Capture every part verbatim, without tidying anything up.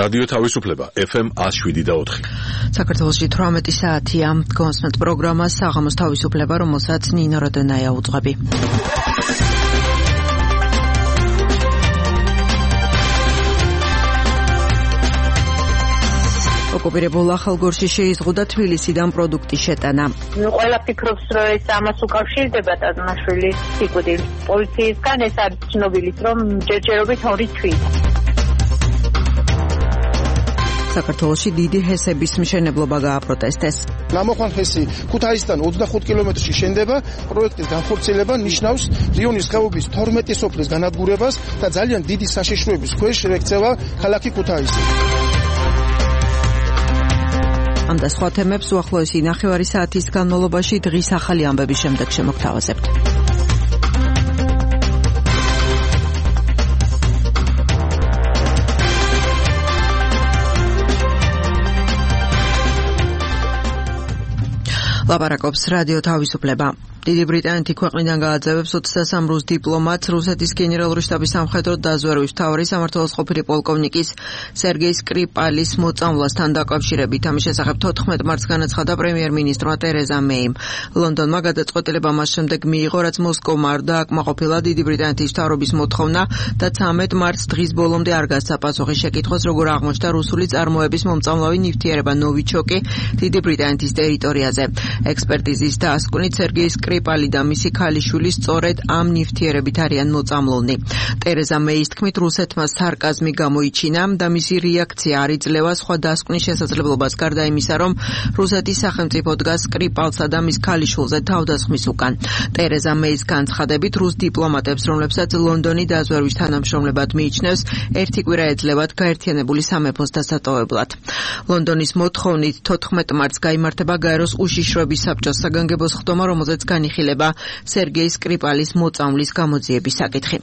რადიო თავისუფლება ეფ ემ one oh seven და four. საქართველოში თვრამეტი საათია. გონსმენთ პროგრამა საღამოს თავისუფლება, რომელსაც ნინო როდონაია უძღვები. ოკუპირებულ ახალგორში შეიზღუდა თბილისიდან პროდუქტის შეტანა. ნუ ყველა ფიქრობს, რომ ეს ამას უკავშირდება ტაზმაშვილის სიკვდილს. პოლიციისგან ეს არის ცნობილი, რომ ჯერჯერობით ორი თვით. საქართველოში დიდი ჰესების მშენებლობა გააპროტესტეს. ნამოხვან ჰესი ქუთაისიდან ოცდახუთ კილომეტრში შენდება. პროექტის განხორციელება ნიშნავს რიონის ხეობის თორმეტი სოფლის განადგურებას და ძალიან დიდი საშიშროების ქვეშ ექცევა ქალაქი ქუთაისი. ამ და სხვა თემებს უახლოესი ნახევარი საათის განმავლობაში დღის ახალი ამბების შემდეგ შემოგთავაზებთ. ლაპარაკობს რადიო თავისუფლება. დიდი ბრიტანეთი ქვეყნიდან გააძევებს ოცდასამ რუს დიპლომატს რუსეთის გენერალური შტაბის სამხედრო დაზვერვის მთავარი სამმართველოს ყოფილი პოლკოვნიკის სერგეი სკრიპალის მოწამვლასთან დაკავშირებით. ამის შესახებ თოთხმეტ მარტს განაცხადა პრემიერ-მინისტრმა ტერეზა მეიმ. ლონდონმა გადაწყვეტილება მას შემდეგ მიიღო, რაც მოსკოვმა არ დააკმაყოფილა დიდი ბრიტანეთის მთავრობის მოთხოვნა და ცამეტ მარტს დღის ბოლომდე არ გასცა პასუხი შეკითხვას, როგორ აღმოჩნდა რუსული წარმოების მომწამლავი ნივთიერება ნოვიჩოკი დიდი ბრიტანეთის ტერიტორიაზე. ექსპერტიზის დასკვნით სერგეი სკრიპალი და მისი ქალიშვილი სწორედ ამ ნივთიერებით არიან მოწამლულნი. ტერეზა მეის თქმით, რუსეთმა სარკაზმი გამოიჩინა და მისი რეაქცია არ იძლევა სხვა დასკვნის შესაძლებლობას, გარდა იმისა, რომ რუსეთის სახელმწიფო დგას სკრიპალსა და მის ქალიშვილზე თავდასხმის უკან. ტერეზა მეის განცხადებით, რუს დიპლომატებს, რომლებსაც ლონდონი დაზვერვის თანამშრომლებად მიიჩნევს, ერთი კვირა ეძლევათ გაერთიანებული სამეფოს დასატოვებლად. ლონდონის მოთხოვნით თოთხმეტ მარტს გაიმართება გაეროს უშიშროების საბჭოს საგანგებო სხდომა, რომელზეც განიხილება სერგეი სკრიპალის მოწამვლის გამოძიების საკითხი.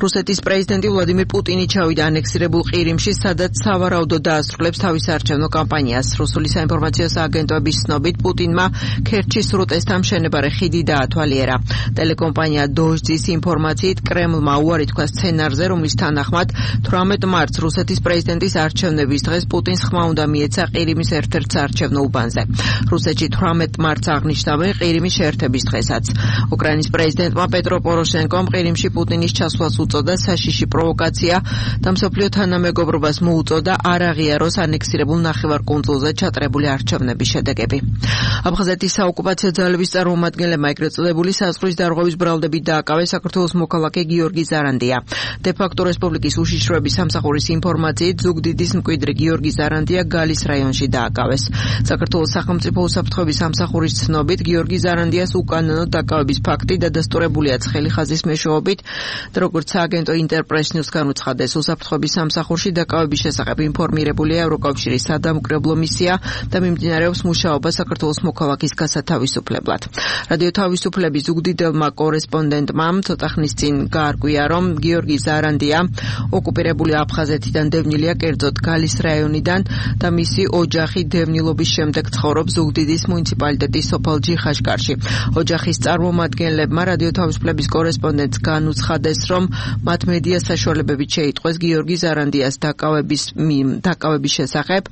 რუსეთის პრეზიდენტი ვლადიმირ პუტინი ჩავიდა ანექსირებულ ყირიმში, სადაც სავარაუდოდ დაასრულებს თავის არჩევნო კამპანიას. რუსული საინფორმაციო სააგენტოების ცნობით, პუტინმა ქერჩის სრუტესთან მშენებარე ხიდი დაათვალიერა. ტელეკომპანია დოჟძის ინფორმაციით, კრემლმა უარი თქვა სცენარზე, რომლის თანახმად თვრამეტ მარტს რუსეთის პრეზიდენტის არჩევნების დღეს პუტინს ხმა უნდა მიეცა ყირიმის ერთ-ერთ საარჩევნო უბანზე. რუსეთში თვრამეტ მარტს აღნიშნავენ ყირიმის შეერთების დღესაც. უკრაინის პრეზიდენტმა პეტრო პოროშენკომ ყირიმში პუტინის ჩასვლას უწოდა საშიში პროვოკაცია და მსოფლიო თანამეგობრობას მოუწოდა არ აღიაროს ანექსირებულ ნახევარკუნძულზე ჩატარებული არჩევნების შედეგები. აფხაზეთის საოკუპაციო ძალების წარმომადგენლებმა ეგრეთ წოდებული საზღვრის დარღვევის ბრალდებით დააკავეს საქართველოს მოქალაქე გიორგი ზარანდია. დე-ფაქტო რესპუბლიკის უშიშროების სამსახურის ინფორმაციით, ზუგდიდის მკვიდრი გიორგი ზარანდია გალის რაიონში დააკავეს. საქართველოს სახელმწიფო უსაფრთხოების სამსახურის ცნობით, გიორგი ზარანდიას უკანონო დაკავების ფაქტი დადასტურებულია ცხელი ხაზის მეშვეობით, როგორც სააგენტო ინტერპრეს ნიუს განუცხადეს, უსაფრთხოების სამსახურში დაკავების შესახებ ინფორმირებულია ევროკავშირის სადამკვირვებლო მისია და მიმდინარეობს მუშაობა საქართველოს მოქალაქის გასათავისუფლებლად. რადიო თავისუფლების ზუგდიდელმა კორესპონდენტმა ცოტა ხნის წინ გაარკვია, რომ გიორგი ზარანდია ოკუპირებული აფხაზეთიდან დევნილია, კერძოდ გალის რაიონიდან და მისი ოჯახი დევნილობის შემდეგ ცხოვრობს ზუგდიდის მუნიციპალიტეტის სოფელ ჯიხაშკარში. ოჯახის წარმომადგენლებმა რადიო თავისუფლების კორესპონდენტს განუცხადეს, რომ მათ მედია საშუალებებით შეიტყვეს გიორგი ზარანდიას დაკავების დაკავების შესახებ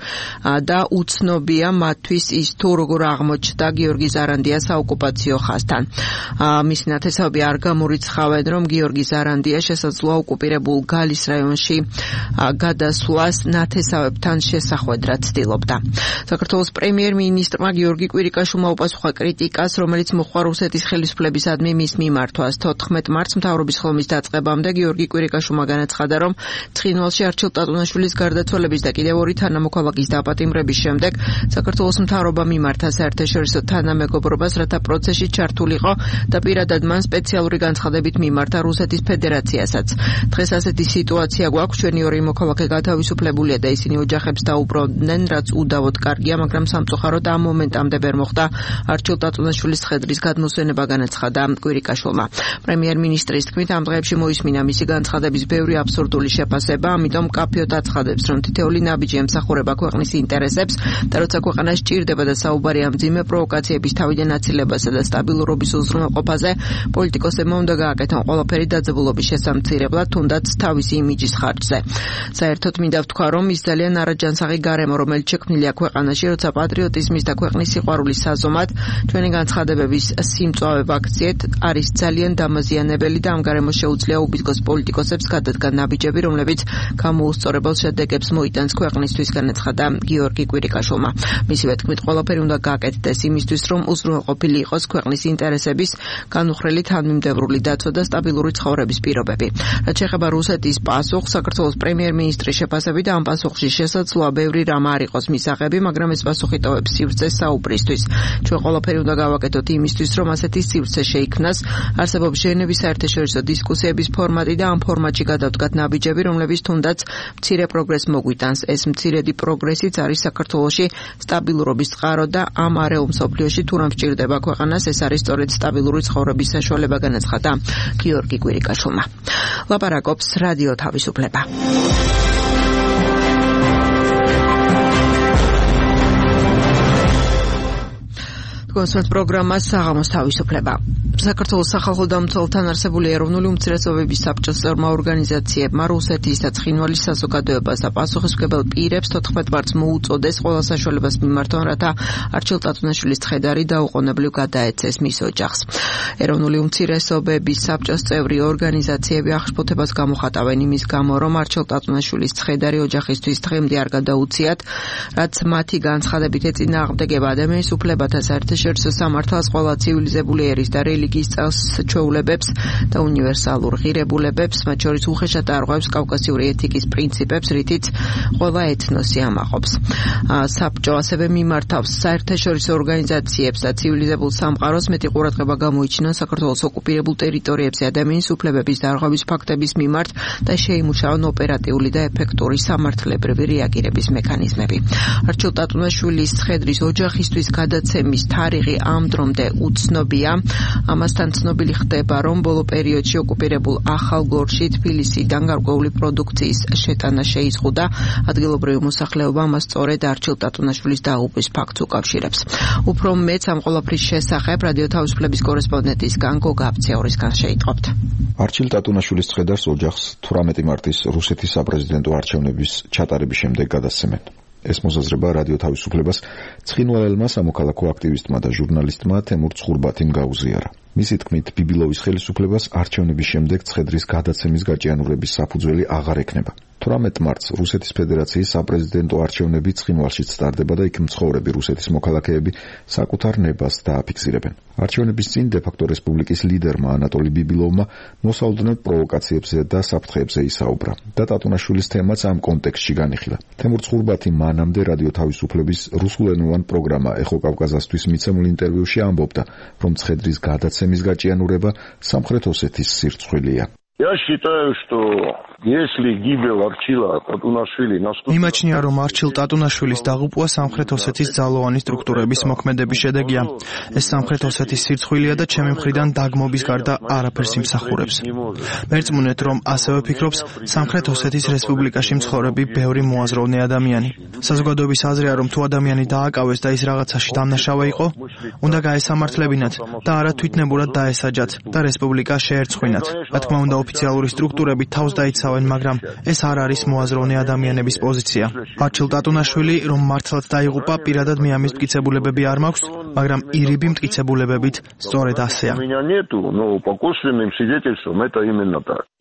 და უცნობია მათთვის ის თუ როგორ აღმოჩნდა გიორგი ზარანდია საოკუპაციო ხაზთან. მისი ნათესავები არ გამორიცხავენ, რომ გიორგი ზარანდია შესაძლოა ოკუპირებულ გალის რაიონში გადასვლას ნათესავებთან შესახვედრად ცდილობდა. საქართველოს პრემიერ-მინისტრმა გიორგი კვირიკაშვილმა უპასუხა კრიტიკას, რომელიც მოხდა რუსეთის ხელისუფლებისადმი მის მიმართვას. თოთხმეტ მარტს მთავრობის ხლომის დაწყებამდე გიორგი კვირიკაშვილმა განაცხადა, რომ ცხინვალში არჩილ ტატუნაშვილის გარდაცვალების და კიდევ ორი თანამოქალაქის დაპატიმრების შემდეგ საქართველოს მთავრობა მიმართა საერთაშორისო თანამეგობრობას, რათა პროცესში ჩართულიყო და პირადად მან სპეციალური განცხადებით მიმართა რუსეთის ფედერაციასაც. დღეს ასეთი სიტუაცია გვაქვს, ჩვენი ორი მოქალაქე გათავისუფლებულია და ისინი ოჯახებს დაუბრუნდნენ, რაც უდავოდ კარგია, მაგრამ სამწუხაროდ ამ მომენტამდე ვერ მოხდა არჩილ ტატუნაშვილის ცხედრის გადმოსვენება განაცხადა კვირიკაშვილმა. პრემიერ-მინისტრის თქმით, ამ დღეებში მოისმინა მისი განცხადების ბევრი აბსურდული შეფასება, ამიტომ მკაფიოდ აცხადებს, რომ თითოეული ნაბიჯი ემსახურება ქვეყნის ინტერესებს და როცა ქვეყანა სჭირდება და საუბარია მძიმე პროვოკაციების თავიდან აცილებასა და სტაბილურობის უზრუნველყოფაზე, პოლიტიკოსებმა უნდა გააკეთონ ყველაფერი დაძაბულობის შესამცირებლად, თუნდაც თავისი იმიჯის ხარჯზე. საერთოდ მინდა ვთქვა, რომ ის ძალიან არაჯანსაღი გარემო, რომელიც შექმნილია ქვეყანაში, როცა პატრიოტიზმის და ქვეყნის სიყვარულის საზომად ჩვენი განცხადებების სიმწვავე ვაქციეთ არის ძალიან დამაზიანებელი და ამ გარემოს შეუძლია უბიძგოს პოლიტიკოსებს გადადგან ნაბიჯები, რომლებიც გამოუსწორებელ შედეგებს მოიტანს ქვეყნისთვის, განაცხადა გიორგი კვირიკაშვილმა. მისივე თქმით, ყველაფერი უნდა გააკეთდეს იმისთვის, რომ უზრუნველყოფილი იყოს ქვეყნის ინტერესების განუხრელი თანმიმდევრული დაცვა და სტაბილური ცხოვრების პირობები. რაც შეეხება რუსეთის პასუხს, საქართველოს პრემიერ-მინისტრის შეფასებით, ამ პასუხში შესაძლოა ბევრი რამ არ იყოს მისაღები, მაგრამ ეს პასუხი ტოვებს სივრცეს საუბრისთვის. ჩვენ ყველაფერი უნდა გავაკეთოთ იმისთვის, რომ ასეთი სივრცე შეიქმნას, არსებობს ჟენევის საერთაშორისო დისკუსიების ფორმატი და ამ ფორმატში გადავდგათ ნაბიჯები, რომლებიც თუნდაც მცირე პროგრესს მოგვიტანს. ეს მცირედი პროგრესიც არის საქართველოში სტაბილურობის წყარო და ამ არეულ მსოფლიოში თუ რამ სჭირდება ქვეყანას, ეს არის სწორედ სტაბილური ცხოვრების საშუალება, განაცხადა გიორგი კვირიკაშვილმა. ლაპარაკობს რადიო თავისუფლება. კონსერტ პროგრამა საღამოს თავისუფლება. საქართველოს სახალხო დამცველთან არსებული ეროვნული უმცირესობების საბჭოს წევრმა ორგანიზაციებმა რუსეთის და ცხინვალის საზოგადოებას და პასუხისმგებელ პირებს თოთხმეტ მარტს მოუწოდეს ყველა საშუალებას მიმართონ, რათა არჩილ ტატუნაშვილის ცხედარი დაუყოვნებლივ გადაეცეს მის ოჯახს. ეროვნული უმცირესობების საბჭოს წევრი ორგანიზაციები აღშფოთებას გამოხატავენ იმის გამო, რომ არჩილ ტატუნაშვილის ცხედარი ოჯახისთვის დღემდე არ გადაუციათ, რაც მათი განცხადებით ეწინააღმდეგება ადამიანის უფლებათა საერთაშორისო სამართალს, ყველა ცივილიზებული ერის და რელიგიის წელს ჩვეულებებს და უნივერსალურ ღირებულებებს, მათ შორის უხეშად არღვევს კავკასიური ეთიკის პრინციპებს, რითიც ყველა ეთნოსი ამაყობს. საბჭო ასევე მიმართავს საერთაშორისო ორგანიზაციებს და ცივილიზებულ სამყაროს მეტი ყურადღება გამოიჩინონ საქართველოს ოკუპირებულ ტერიტორიებზე ადამიანის უფლებების დარღვევის ფაქტების მიმართ და შეიმუშაონ ოპერატიული და ეფექტური სამართლებრივი რეაგირების მექანიზმები. არჩილ ტატუნაშვილის ცხედრის ოჯახისთვის გადაცემის თარიღი ამ დრომდე უცნობია. ამასთან ცნობილი ხდება, რომ ბოლო პერიოდში ოკუპირებულ ახალგორში თბილისიდან გარკვეული პროდუქციის შეტანა შეიზღუდა. ადგილობრივი მოსახლეობა მას სწორედ არჩილ ტატუნაშვილის დაღუპვის ფაქტს უკავშირებს. უფრო მეც ამ ყველაფრის შესახებ რადიო თავისუფლების კორესპონდენტისგან გოგა აფციაურისგან შეიტყობთ. არჩილ ტატუნაშვილის ცხედარს ოჯახს თვრამეტი მარტის რუსეთის საპრეზიდენტო არჩევნების ჩატარების შემდეგ გადასცემენ. ეს მოსაზრება რადიო თავისუფლებას ცხინვალელმა სამოქალაქო აქტივისტმა და ჟურნალისტმა თემურ ცხურბათიმ გაუზიარა. მისი თქმით, ბიბილოვის ხელისუფლებას არჩევნების შემდეგ ცხედრის გადაცემის გაჭიანურების საფუძველი აღარ ექნება. თვრამეტ მარტს რუსეთის ფედერაციის საპრეზიდენტო არჩევნები ცხინვალშიც სტარდება და იქ მცხოვრები რუსეთის მოქალაქეები საკუთარ ნებას დააფიქსირებენ. არჩევნების წინ დე-ფაქტო რესპუბლიკის ლიდერმა ანატოლი ბიბილოვმა მოსალოდნელ პროვოკაციებზე და საფრთხეებზე ისაუბრა და ტატუნაშვილის თემაც ამ კონტექსტში განიხილა. თემურ ცხურბათი მანამდე რადიო თავისუფლების რუსულენოვან პროგრამა ეხო კავკაზასთვის მიცემულ ინტერვიუში ამბობდა, რომ ცხედრის გადაცემის გაჭიანურება სამხრეთ ოსეთის სირცხვილია. Я считаю, что если гибель Арчила Татунашвили наступила... Მიმაჩნია, რომ არჩილ ტატუნაშვილის დაღუპვა სამხრეთ ოსეთის ძალოვანი სტრუქტურების მოქმედების შედეგია. ეს სამხრეთ ოსეთის სირცხვილია და ჩემი მხრიდან დაგმობის გარდა არაფერს იმსახურებს. მერწმუნეთ, რომ ასევე ფიქრობს სამხრეთ ოსეთის რესპუბლიკაში მცხოვრები ბევრი მოაზროვნე ადამიანი. საზოგადოების აზრია, რომ თუ ადამიანი დააკავეს და ის რაღაცაში დამნაშავე იყო, უნდა გაესამართლებინათ და არა თვითნებურად დაესაჯათ და რესპუბლიკა შეერცხვინათ. რა თქმა უნდა, ოფიციალური სტრუქტურები თავს დაიცავენ, მაგრამ ეს არ არის მოაზროვნე ადამიანების პოზიცია. არჩილ ტატუნაშვილი, რომ მართლაც დაიღუპა, პირადად მე ამის მტკიცებულებები არ მაქვს, მაგრამ ირიბი მტკიცებულებებით სწორედ ასეა.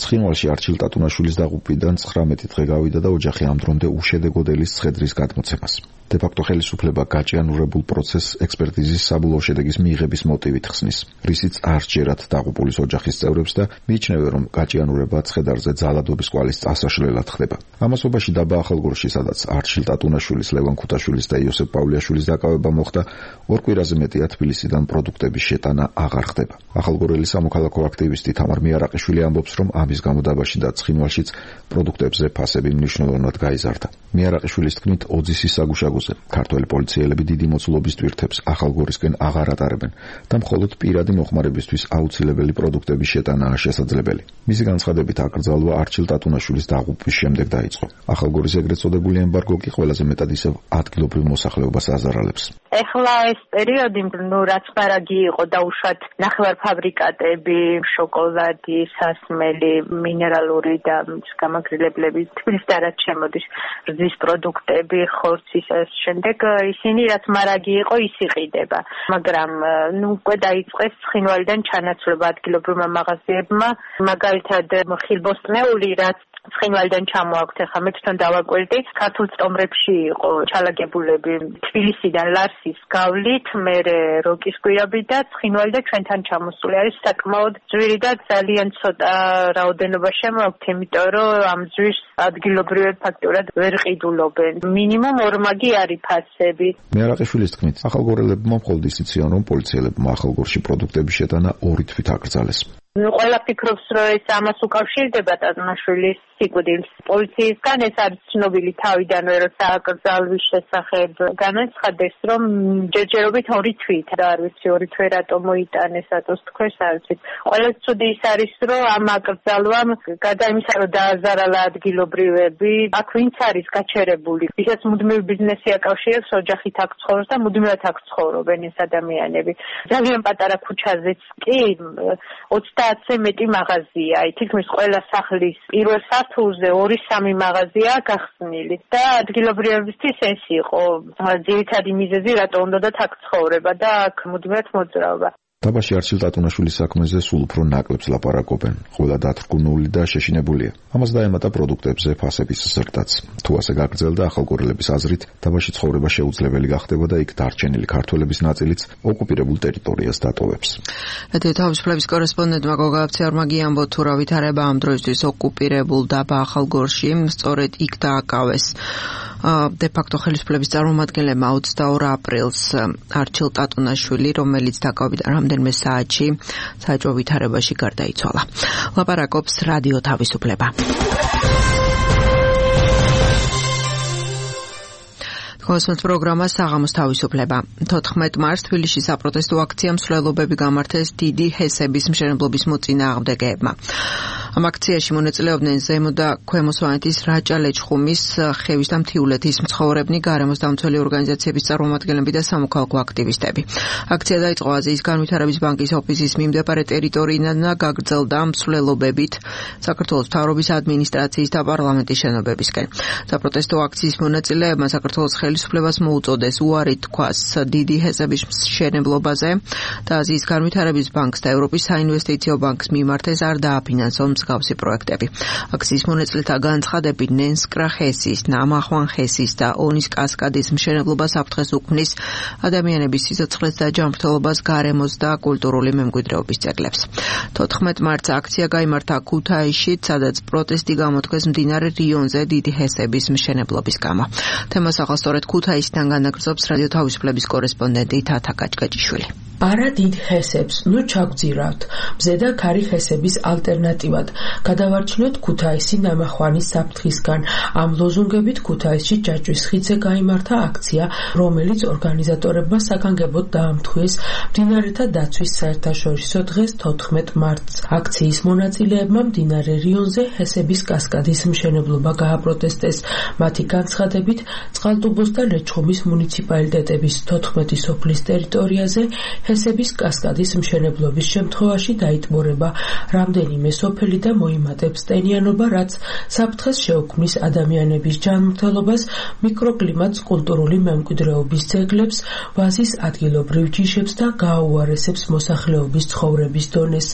ცხინვალში არჩილ ტატუნაშვილის დაღუპვიდან ცხრამეტი დღე გავიდა და ოჯახი ამ დრომდე უშედეგოდ ელის ცხედრის გადმოცემას. დე-ფაქტო ხელისუფლება გაჭიანურებულ პროცესს ექსპერტიზის საბოლოო შედეგის მიღების მოტივით ხსნის, რისიც არ სჯერათ დაღუპულის ოჯახის წევრებს და მიიჩნევენ, რომ გაჭიანურება ცხედარზე ძალადობის კვალის წასაშლელად ხდება. ამასობაში დაბა ახალგორში, სადაც არჩილ ტატუნაშვილის, ლევან ქუთაშვილის და იოსებ პავლიაშვილის დაკავება მოხდა, ორ კვირაზე მეტია თბილისიდან პროდუქტების შეტანა აღარ ხდება. ახალგორელი სამოქალაქო აქტივისტი თამარ მიარაყიშვილი ამბობს, რომ ამის გამო დაბაში და ცხინვალშიც პროდუქტებზე ფასები მნიშვნელოვნად გაიზარდა. მიარაყიშვილის თქმით, ოძისის საგუშაგო საწარმოზე. ქართველი პოლიციელები დიდი მოცულობის ტვირთებს ახალგორისკენ აღარ ატარებენ და მხოლოდ პირადი მოხმარებისთვის აუცილებელი პროდუქტების შეტანაა შესაძლებელი. მისი განცხადებით აკრძალვა არჩილ ტატუნაშვილის დაღუპვის შემდეგ დაიწყო. ახალგორის ეგრეთ წოდებული ემბარგო კი ყველაზე მეტად ისევ ადგილობრივ მოსახლეობას აზარალებს. ეხლა ეს პერიოდი, ნუ რაც მარაგი იყო დაუშვათ ნახევარფაბრიკატები, შოკოლადი, სასმელი, მინერალური და გამაგრილებლები, თბილისში და რაც შემოდის, რძის პროდუქტები, ხორცის ეს შემდეგ ისინი რაც მარაგი იყო ის იყიდება. მაგრამ ნუ უკვე დაიწყეს ცხინვალიდან ჩანაცვლება ადგილობრივმა მაღაზიებმა, მაგალითად ხილბოსტნეული რაც ცხინვალიდან ჩამოაქვთ, ახლა მე თვითონ დავაკვირდი, ქართულ სტომრებში იყო ჩალაგებულები თბილისიდან ლარსის გავლით, მერე როკის გვირაბი და ცხინვალი და ჩვენთან ჩამოსული არის საკმაოდ ძვირი და ძალიან ცოტა რაოდენობა შემოაქვთ, იმიტომ რომ ამ ძვირს ადგილობრივად ფაქტურად ვერ ყიდულობენ. მინიმუმ ორმაგი არის ფასები. მეარაყიშვილის თქმით, ახალგორელებმა მხოლოდ ის იციან, რომ პოლიციელებმა ახალგორში პროდუქტების შეტანა ორი თვით აკრძალეს. ყველა ფიქრობს, რომ ეს ამას უკავშირდება ტატუნაშვილის სიკვდილს. პოლიციისგან ეს არის ცნობილი თავიდანვე, როცა აკრძალვის შესახებ განაცხადეს, რომ ჯერჯერობით ორი თვით და არ ვიცი ორი თვე რატომ მოიტანეს, რატოს თქვეს, არ ვიცი. ყველა ცუდი ის არის, რომ ამ აკრძალვამ გარდა იმისა, რომ დააზარალა ადგილობრივები, აქ ვინც არის გაჩერებული, ვისაც მუდმივი ბიზნესი აკავშირებს, ოჯახით აქ ცხოვრობს და მუდმივად აქ ცხოვრობენ ეს ადამიანები. ძალიან პატარა ქუჩაზეც კი ოცდაათზე მეტი მაღაზია, თითქმის ყველა სახლის პირველ სართულზე ორი სამი მაღაზიაა გახსნილი და ადგილობრივებისთვის ეს იყო ძირითადი მიზეზი, რატო უნდათ აქ ცხოვრება და აქ მუდმივად მოძრაობა. დაბაში არჩილ ტატუნაშვილის საქმეზე სულ უფრო ნაკლებს ლაპარაკობენ. ყველა დათრგუნული და შეშინებულია. ამას დაემატა პროდუქტებზე ფასების ზრდაც. თუ ასე გაგრძელდა, ახალგორელების აზრით, დაბაში ცხოვრება შეუძლებელი გახდება და იქ დარჩენილი ქართველების ნაწილიც ოკუპირებულ ტერიტორიას დატოვებს. რადიო თავისუფლების კორესპონდენტმა გოგა აბციარმა გიამბო თუ რა ვითარება ამ დროისთვის ოკუპირებულ დაბა ახალგორში, სწორედ იქ დააკავეს. de facto ხელისუფლების წარმომადგენლებმა ოცდაორ აპრილს არჩილ ტატუნაშვილი, რომელიც დაკავებდა რამდენიმე საათში საეჭვო ვითარებაში გარდაიცვალა. ლაპარაკობს რადიო თავისუფლება. Kosmos პროგრამა საღამოს თავისუფლება. თოთხმეტ მარტს თბილისში საპროტესტო აქცია მსვლელობები გამართეს დიდი ჰესების მშენებლობის მოწინააღმდეგეებმა. ამ აქციაში მონაწილეობდნენ ზემო და ქვემო სვანეთის რაჭა ლეჩხუმის, ხევის და მთიულეთის მცხოვრებნი, გარემოს დამცველი ორგანიზაციების წარმომადგენლები და სამოქალაქო აქტივისტები. აქცია დაიწყო აზიის განვითარების ბანკის ოფისის მიმდებარე ტერიტორიიდან და გაგრძელდა მსვლელობებით საქართველოს მთავრობის ადმინისტრაციის და პარლამენტის შენობებისკენ. საპროტესტო აქციის მონაწილეებმა საქართველოს ხელისუფლებას მოუწოდეს უარი თქვას დიდი ჰესების მშენებლობაზე და აზიის განვითარების ბანკს და ევროპის საინვესტიციო ბანკს მიმართეს არ დააფინანსონ მსგავსი პროექტები. აქციის მონაწილეთა განცხადებით ნენსკრა ჰესის, ნამახვან ჰესის და ონის კასკადის მშენებლობა საფრთხეს უქმნის ადამიანების სიცოცხლეს და ჯანმრთელობას, გარემოს და კულტურული მემკვიდრეობის ძეგლებს. თოთხმეტ მარტს აქცია გაიმართა ქუთაისში, სადაც პროტესტი გამოთქვეს მდინარე რიონზე დიდი ჰესების მშენებლობის გამო. თემას ახალსწორედ ქუთაისიდან განაგრძობს რადიო თავისუფლების კორესპონდენტი თათა კაჭკაჭიშვილი. არა დიდ ჰესებს, ნუ ჩაგძირავთ. მზედა ქარი ჰესების ალტერნატივად. გადავარჩინოთ ქუთაისი ნამახვანის საფრთხისგან. ამ ლოზუნგებით ქუთაისში ჯაჭვის ხიდზე გაიმართა აქცია, რომელიც ორგანიზატორებმა საგანგებოდ დაამთხვიეს მდინარეთა დაცვის საერთაშორისო დღეს თოთხმეტ მარტს. აქციის მონაწილეებმა მდინარე რიონზე ჰესების კასკადის მშენებლობა გააპროტესტეს. მათი განცხადებით, წყალტუბოს და ლეჩხუმის მუნიციპალიტეტების თოთხმეტი სოფლის ტერიტორიაზე ჰესების კასკადის მშენებლობის შემთხვევაში დაიტბორება რამდენიმე სოფელი და მოიმატებს ტენიანობა, რაც საფრთხეს შეუქმნის ადამიანების ჯანმრთელობას, მიკროკლიმატს, კულტურული მემკვიდრეობის ძეგლებს, ვაზის ადგილობრივ ჯიშებს და გააუარესებს მოსახლეობის ცხოვრების დონეს.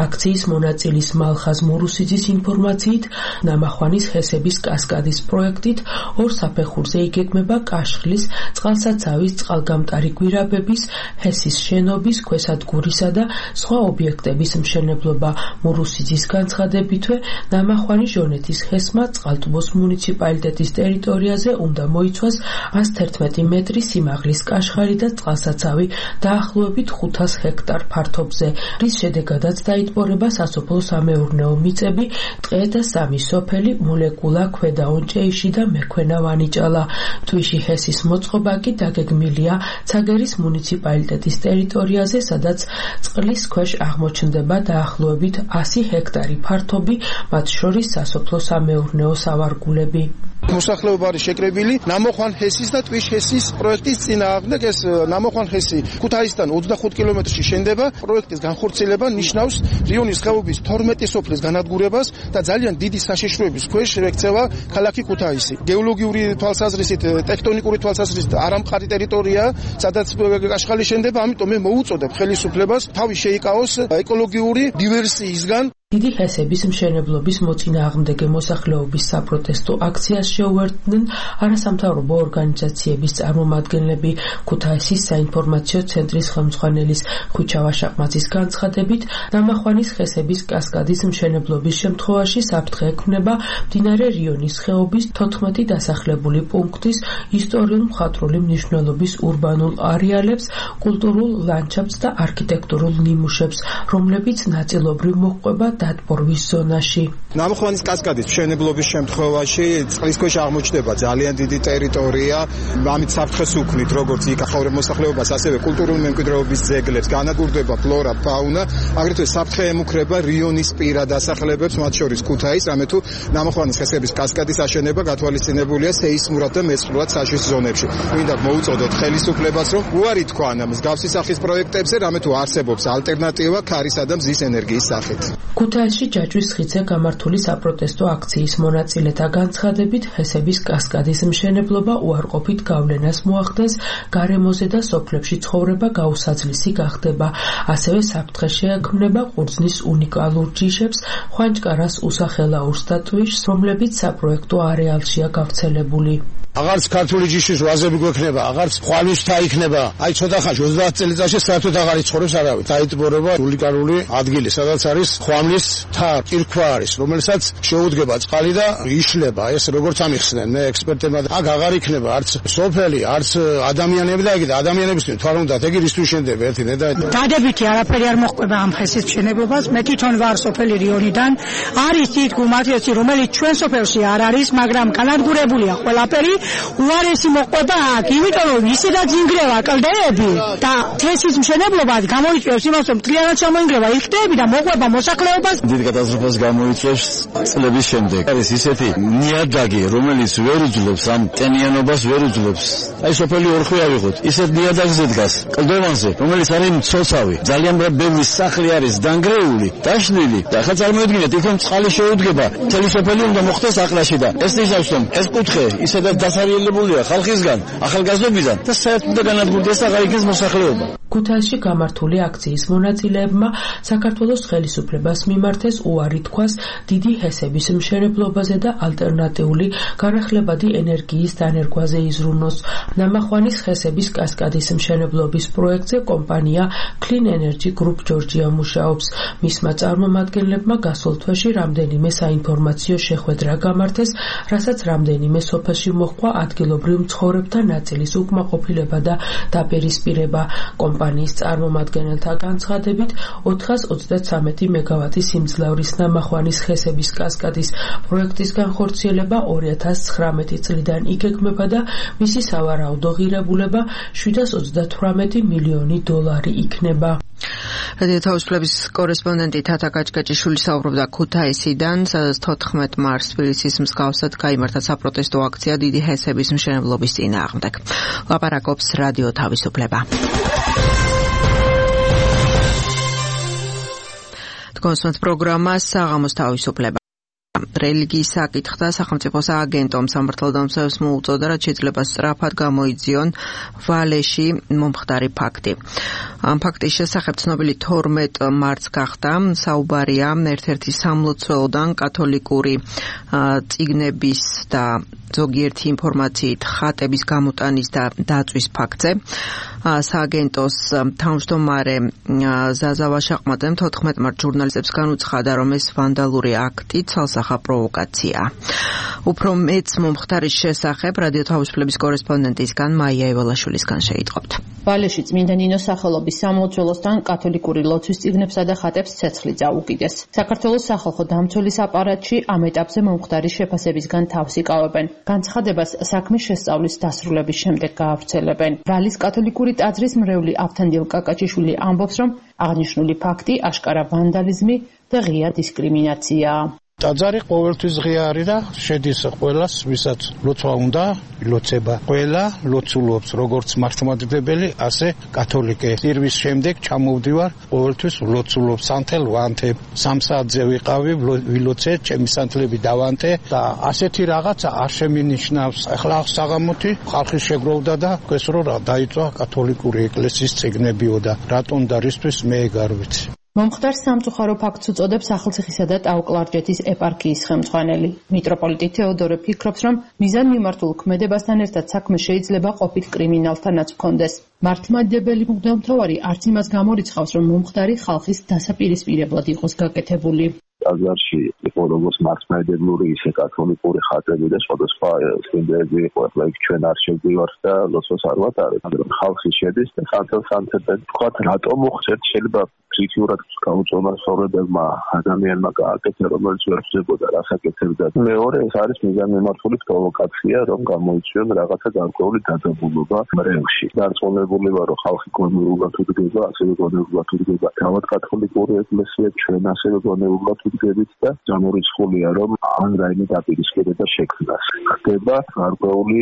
აქციის მონაწილის მალხაზ მურუსიძის ინფორმაციით, ნამახვანის ჰესების კასკადის პროექტით ორ საფეხურზე იგეგმება კაშხლის, წყალსაცავის, წყალგამტარი გვირაბების, ჰესის შენობის, ქვესადგურისა და სხვა ობიექტების მშენებლობა. მურუსიძის განცხადებით, განცხადებითვე ნამახვანი ჟონეთის ხესმა წყალტუბოს მუნიციპალიტეტის ტერიტორიაზე უნდა მოიცვას ას თერთმეტი მეტრი სიმაღლის კაშხალი და წყალსაცავი დაახლოებით ხუთას ჰექტარ ფართობზე, რის შედეგადაც დაიტბორება სასოფლო-სამეურნეო მიწები, ტყე და სამი სოფელი, მოლეკულა, ქვედაონჭეიში და მექვენა ვანიჭალა. თვიში ჰესის მოწყობა კი დაგეგმილია ცაგერის მუნიციპალიტეტის ტერიტორიაზე, სადაც წყლის ქვეშ აღმოჩნდება დაახლოებით ასი ჰექტარი ფართობი, მათ შორის სასოფლო-სამეურნეო სავარგულები. მოსახლეობა არის შეკრებილი ნამოხვან ჰესის და ტვიშ ჰესის პროექტის წინააღმდეგ. ეს ნამოხვან ჰესი ქუთაისიდან ოცდახუთ კილომეტრში შენდება. პროექტის განხორციელება ნიშნავს რიონის ხეობის თორმეტი სოფლის განადგურებას და ძალიან დიდი საშიშროების ქვეშ ექცევა ქალაქი ქუთაისი. გეოლოგიური თვალსაზრისით, ტექტონიკური თვალსაზრისით არამყარი ტერიტორია, სადაც კაშხალი შენდება, ამიტომ მე მოუწოდებ ხელისუფლებას თავი შეიკავოს ეკოლოგიური დივერსიისგან. დიდი ჰესების მშენებლობის მოწინააღმდეგე მოსახლეობის საპროტესტო აქციას შეუერთდნენ არასამთავრობო ორგანიზაციების წარმომადგენლები. ქუთაისის საინფორმაციო ცენტრის ხელმძღვანელის ხვიჩა შაყმაძის განცხადებით, ნამახვანის ხესების კასკადის მშენებლობის შემთხვევაში საფრთხე ექმნება მდინარე რიონის ხეობის თოთხმეტი დასახლებული პუნქტის ისტორიულ-მხატვრული მნიშვნელობის ურბანულ არეალებს, კულტურულ ლანდშაფტს და არქიტექტურულ ნიმუშებს, რომლებიც ნაწილობრივ მოჰყვება დატბორვის ზონაში. ნამახვანის კასკადის მშენებლობის შემთხვევაში წყლის ქვეშ აღმოჩნდება ძალიან დიდი ტერიტორია, ამით საფრთხეს უქმნით როგორც იქ მოსახლეობას, ასევე კულტურული მემკვიდრეობის ძეგლებს, განადგურდება ფლორა, ფაუნა, აგრეთვე საფრთხე ემუქრება რიონის პირა დასახლებებს, მათ შორის ქუთაის, რამე თუ ნამახვანის ხესების კასკადის აშენება გათვალისწინებულია სეისმურად და მეწყრულად საშიშ ზონებში. მინდა მოუწოდოთ ხელისუფლებას, რომ უარი თქვან მსგავსი სახის პროექტებზე, რამე თუ არსებობს ალტერნატივა ქარისა და მზის ენერგიის სახით. ქუთაისში ჯაჭვის ხიდზე გამართული საპროტესტო აქციის მონაწილეთა განცხადებით, ჰესების კასკადის მშენებლობა უარყოფით გავლენას მოახდენს გარემოზე და სოფლებში ცხოვრება გაუსაძლისი გახდება. ასევე საფრთხე შეექმნება ყურძნის უნიკალურ ჯიშებს, ხვანჭკარას უსახელაურს და ტვიშს, რომლებიც საპროექტო არეალშია გავრცელებული. აღარც ქართული ჯიშის ვაზები გვექნება, აღარც ხვალის თა იქნება. აი ცოტა ხანში ოცდაათ წელიწადში საერთოდ აღარ იცხოვრებს არავინ. დაიტბორება უნიკალური ადგილი, სადაც არის ხვამლის თა, კირქვა არის, რომელსაც შეუდგება წყალი და იშლება. ეს როგორც ამიხსნენ მე ექსპერტებმა, აქ აღარ იქნება არც სოფელი, არც ადამიანები და ეგ ადამიანებისთვის თვარ უნდა ეგ ისთვის შენდება ერთი ნედა. დადებითი არაფერი არ მოხდება ამ ხესის მშენებლობას. მე თვითონ ვარ სოფელი რიონიდან. არის თით გუმათიოცი, რომელიც ჩვენ სოფელში არ არის, მაგრამ განადგურებულია ყველაფერი. უარესი მოყვება აქ, იმიტომ რომ ისედაც ინგრევა კლდეები და თესის მშენებლობა გამოიწვევს იმას, რომ მთლიანად ჩამოინგრევა იქ კლდეები და მოყვება მოსახლეობას. დიდ კატასტროფას გამოიწვევს წლების შემდეგ. არის ისეთი ნიადაგი, რომელიც ვერ უძლებს ამ ტენიანობას, ვერ უძლებს. აი სოფელი ორხვი ავიღოთ, ისეთ ნიადაგზე დგას, კლდოვანზე, რომელიც არის მცოცავი. ძალიან ბევრი სახლი არის დანგრეული, დაშლილი და ახლა წარმოიდგინეთ, იქ წყალი შეუდგება, მთელი სოფელი უნდა მოხდეს აყრაში და ეს ნიშნავს, რომ ეს კუთხე ისედაც დასარიელებულია ხალხისგან, ახალგაზრდობიდან და საერთოდ განადგურდეს აღარ იქნეს მოსახლეობა. ქუთაისში გამართული აქციის მონაწილეებმა საქართველოს ხელისუფლებას მიმართეს უარი თქვას დიდი ჰესების მშენებლობაზე და ალტერნატიული განახლებადი ენერგიის დანერგვაზე იზრუნოს. ნამახვანის ხესების კასკადის მშენებლობის პროექტზე კომპანია Clean Energy Group Georgia მუშაობს. მისმა წარმომადგენლებმა გასულ თვეში რამდენიმე საინფორმაციო შეხვედრა გამართეს, რასაც რამდენიმე სოფელში მოჰყვა ადგილობრივ მცხოვრებთა ნაწილის უკმაყოფილება და დაპირისპირება. კომპანიის წარმომადგენელთა განცხადებით, ოთხას ოცდათრამეტი მეგავატის სიმძლავრის ნამახვანის ხესების კასკადის პროექტის განხორციელება ორი ათას ცხრამეტი წლიდან იგეგმება და მისი სავარაუდო ღირებულება შვიდას ოცდათვრამეტი მილიონი დოლარი იქნება. რადიო თავისუფლების კორესპონდენტი თათა გაჭგაჭიშვილი საუბრობდა ქუთაისიდან, სადაც თოთხმეტ მარტს თბილისის მსგავსად გაიმართა საპროტესტო აქცია დიდი ჰესების მშენებლობის წინააღმდეგ. ლაპარაკობს რადიო თავისუფლება. კონსულტ პროგრამა საღამოს თავისუფლება. რელიგიის საკითხთა სახელმწიფო სააგენტომ სამართალდამცავებს მოუწოდა, რაც შეიძლება სწრაფად გამოიძიონ ვალეში მომხდარი ფაქტი. ამ ფაქტის შესახებ ცნობილი თორმეტ მარტს გახდა საუბარია ერთ-ერთი სამლოცველოდან კათოლიკური წიგნების და ზოგიერთი ინფორმაციით ხატების გამოტანის და დაწვის ფაქტზე. სააგენტოს თავმჯდომარე ზაზა ვაშაყმაძემ თოთხმეტ მარტს ჟურნალისტებს განუცხადა, რომ ეს ვანდალური აქტი ცალსახა პროვოკაციაა. უფრო მეც მომხდარის შესახებ რადიო თავისუფლების კორესპონდენტისგან მაია ევალაშვილისგან შეიტყობთ. ვალეში წმინდა ნინოს სახელობის სამლოცველოსთან კათოლიკური ლოცვის წიგნებსა და ხატებს ცეცხლი წაუკიდეს. საქართველოს სახალხო დამცველის აპარატში ამ ეტაპზე მომხდარის შეფასებისგან თავს იკავებენ. განცხადებას საქმის შესწავლის დასრულების შემდეგ გაავრცელებენ. ვალის კათოლიკური ტაძრის მრევლი ავთანდილ კაკაჩიშვილი ამბობს, რომ აღნიშნული ფაქტი აშკარა ვანდალიზმი და ღია დისკრიმინაციაა. ტაძარი ყოველთვის ღია არის და შედის ყველას, ვისაც ლოცვა უნდა, ილოცება. ყველა ლოცულობს, როგორც მართლმადიდებელი, ასე კათოლიკე. წირვის შემდეგ ჩამოვდივარ, ყოველთვის ლოცულობს სანთელ ვანთე. სამ საათზე ვიყავი, ვილოცე, ჩემი სანთლები დავანთე და ასეთი რაღაცა არ შემინიშნავს. ახლა საღამოთი ხალხი შეგროვდა და ეს რო რა დაიწვა კათოლიკური ეკლესიის წიგნებიო და რატომ და რისთვის მე ეგ არ ვიცი. მომხდარს სამწუხარო ფაქტს უწოდებს ახალციხისა და ტაო-კლარჯეთის ეპარქიის ხელმძღვანელი. მიტროპოლიტი თეოდორე ფიქრობს, რომ მიზანმიმართულ ქმედებასთან ერთად საქმე შეიძლება ყოფილ კრიმინალთანაც ჰქონდეს. მართლმადიდებელი მღვდელმთავარი არც იმას გამორიცხავს, რომ მომხდარი ხალხის დასაპირისპირებლად იყოს გაკეთებული. ტაძარში იყო როგორც მართლმადიდებლური, ისე კათოლიკური ხატები და სხვადასხვა წმინდები იყო. ახლა იქ ჩვენ არ შევდივართ და ლოცვას არ ვატარებთ. ხალხი შედის და სანთელ-სანთელად თქვათ, რატომ მოხდეთ, შეიძლება ფსიქიურად გაუწონა სწორებებმა ადამიანმა გააკეთა, რომელიც ვერ ხდებოდა რასაკეთებდა. მეორე, ეს არის მიზანმიმართული პროვოკაცია, რომ გამოიწვიონ რაღაცა გარკვეული დაძაბულობა მრევლში. დარწმუნებული ვარ, რომ ხალხი გონივრულად უდგება, ასევე გონივრულად უდგება თავად კათოლიკური ეკლესია, ჩვენ ასევე გონივრულად ვდგებით და გამორიცხულია, რომ ან რაიმე დაპირისპირება შექმნას. ხდება გარკვეული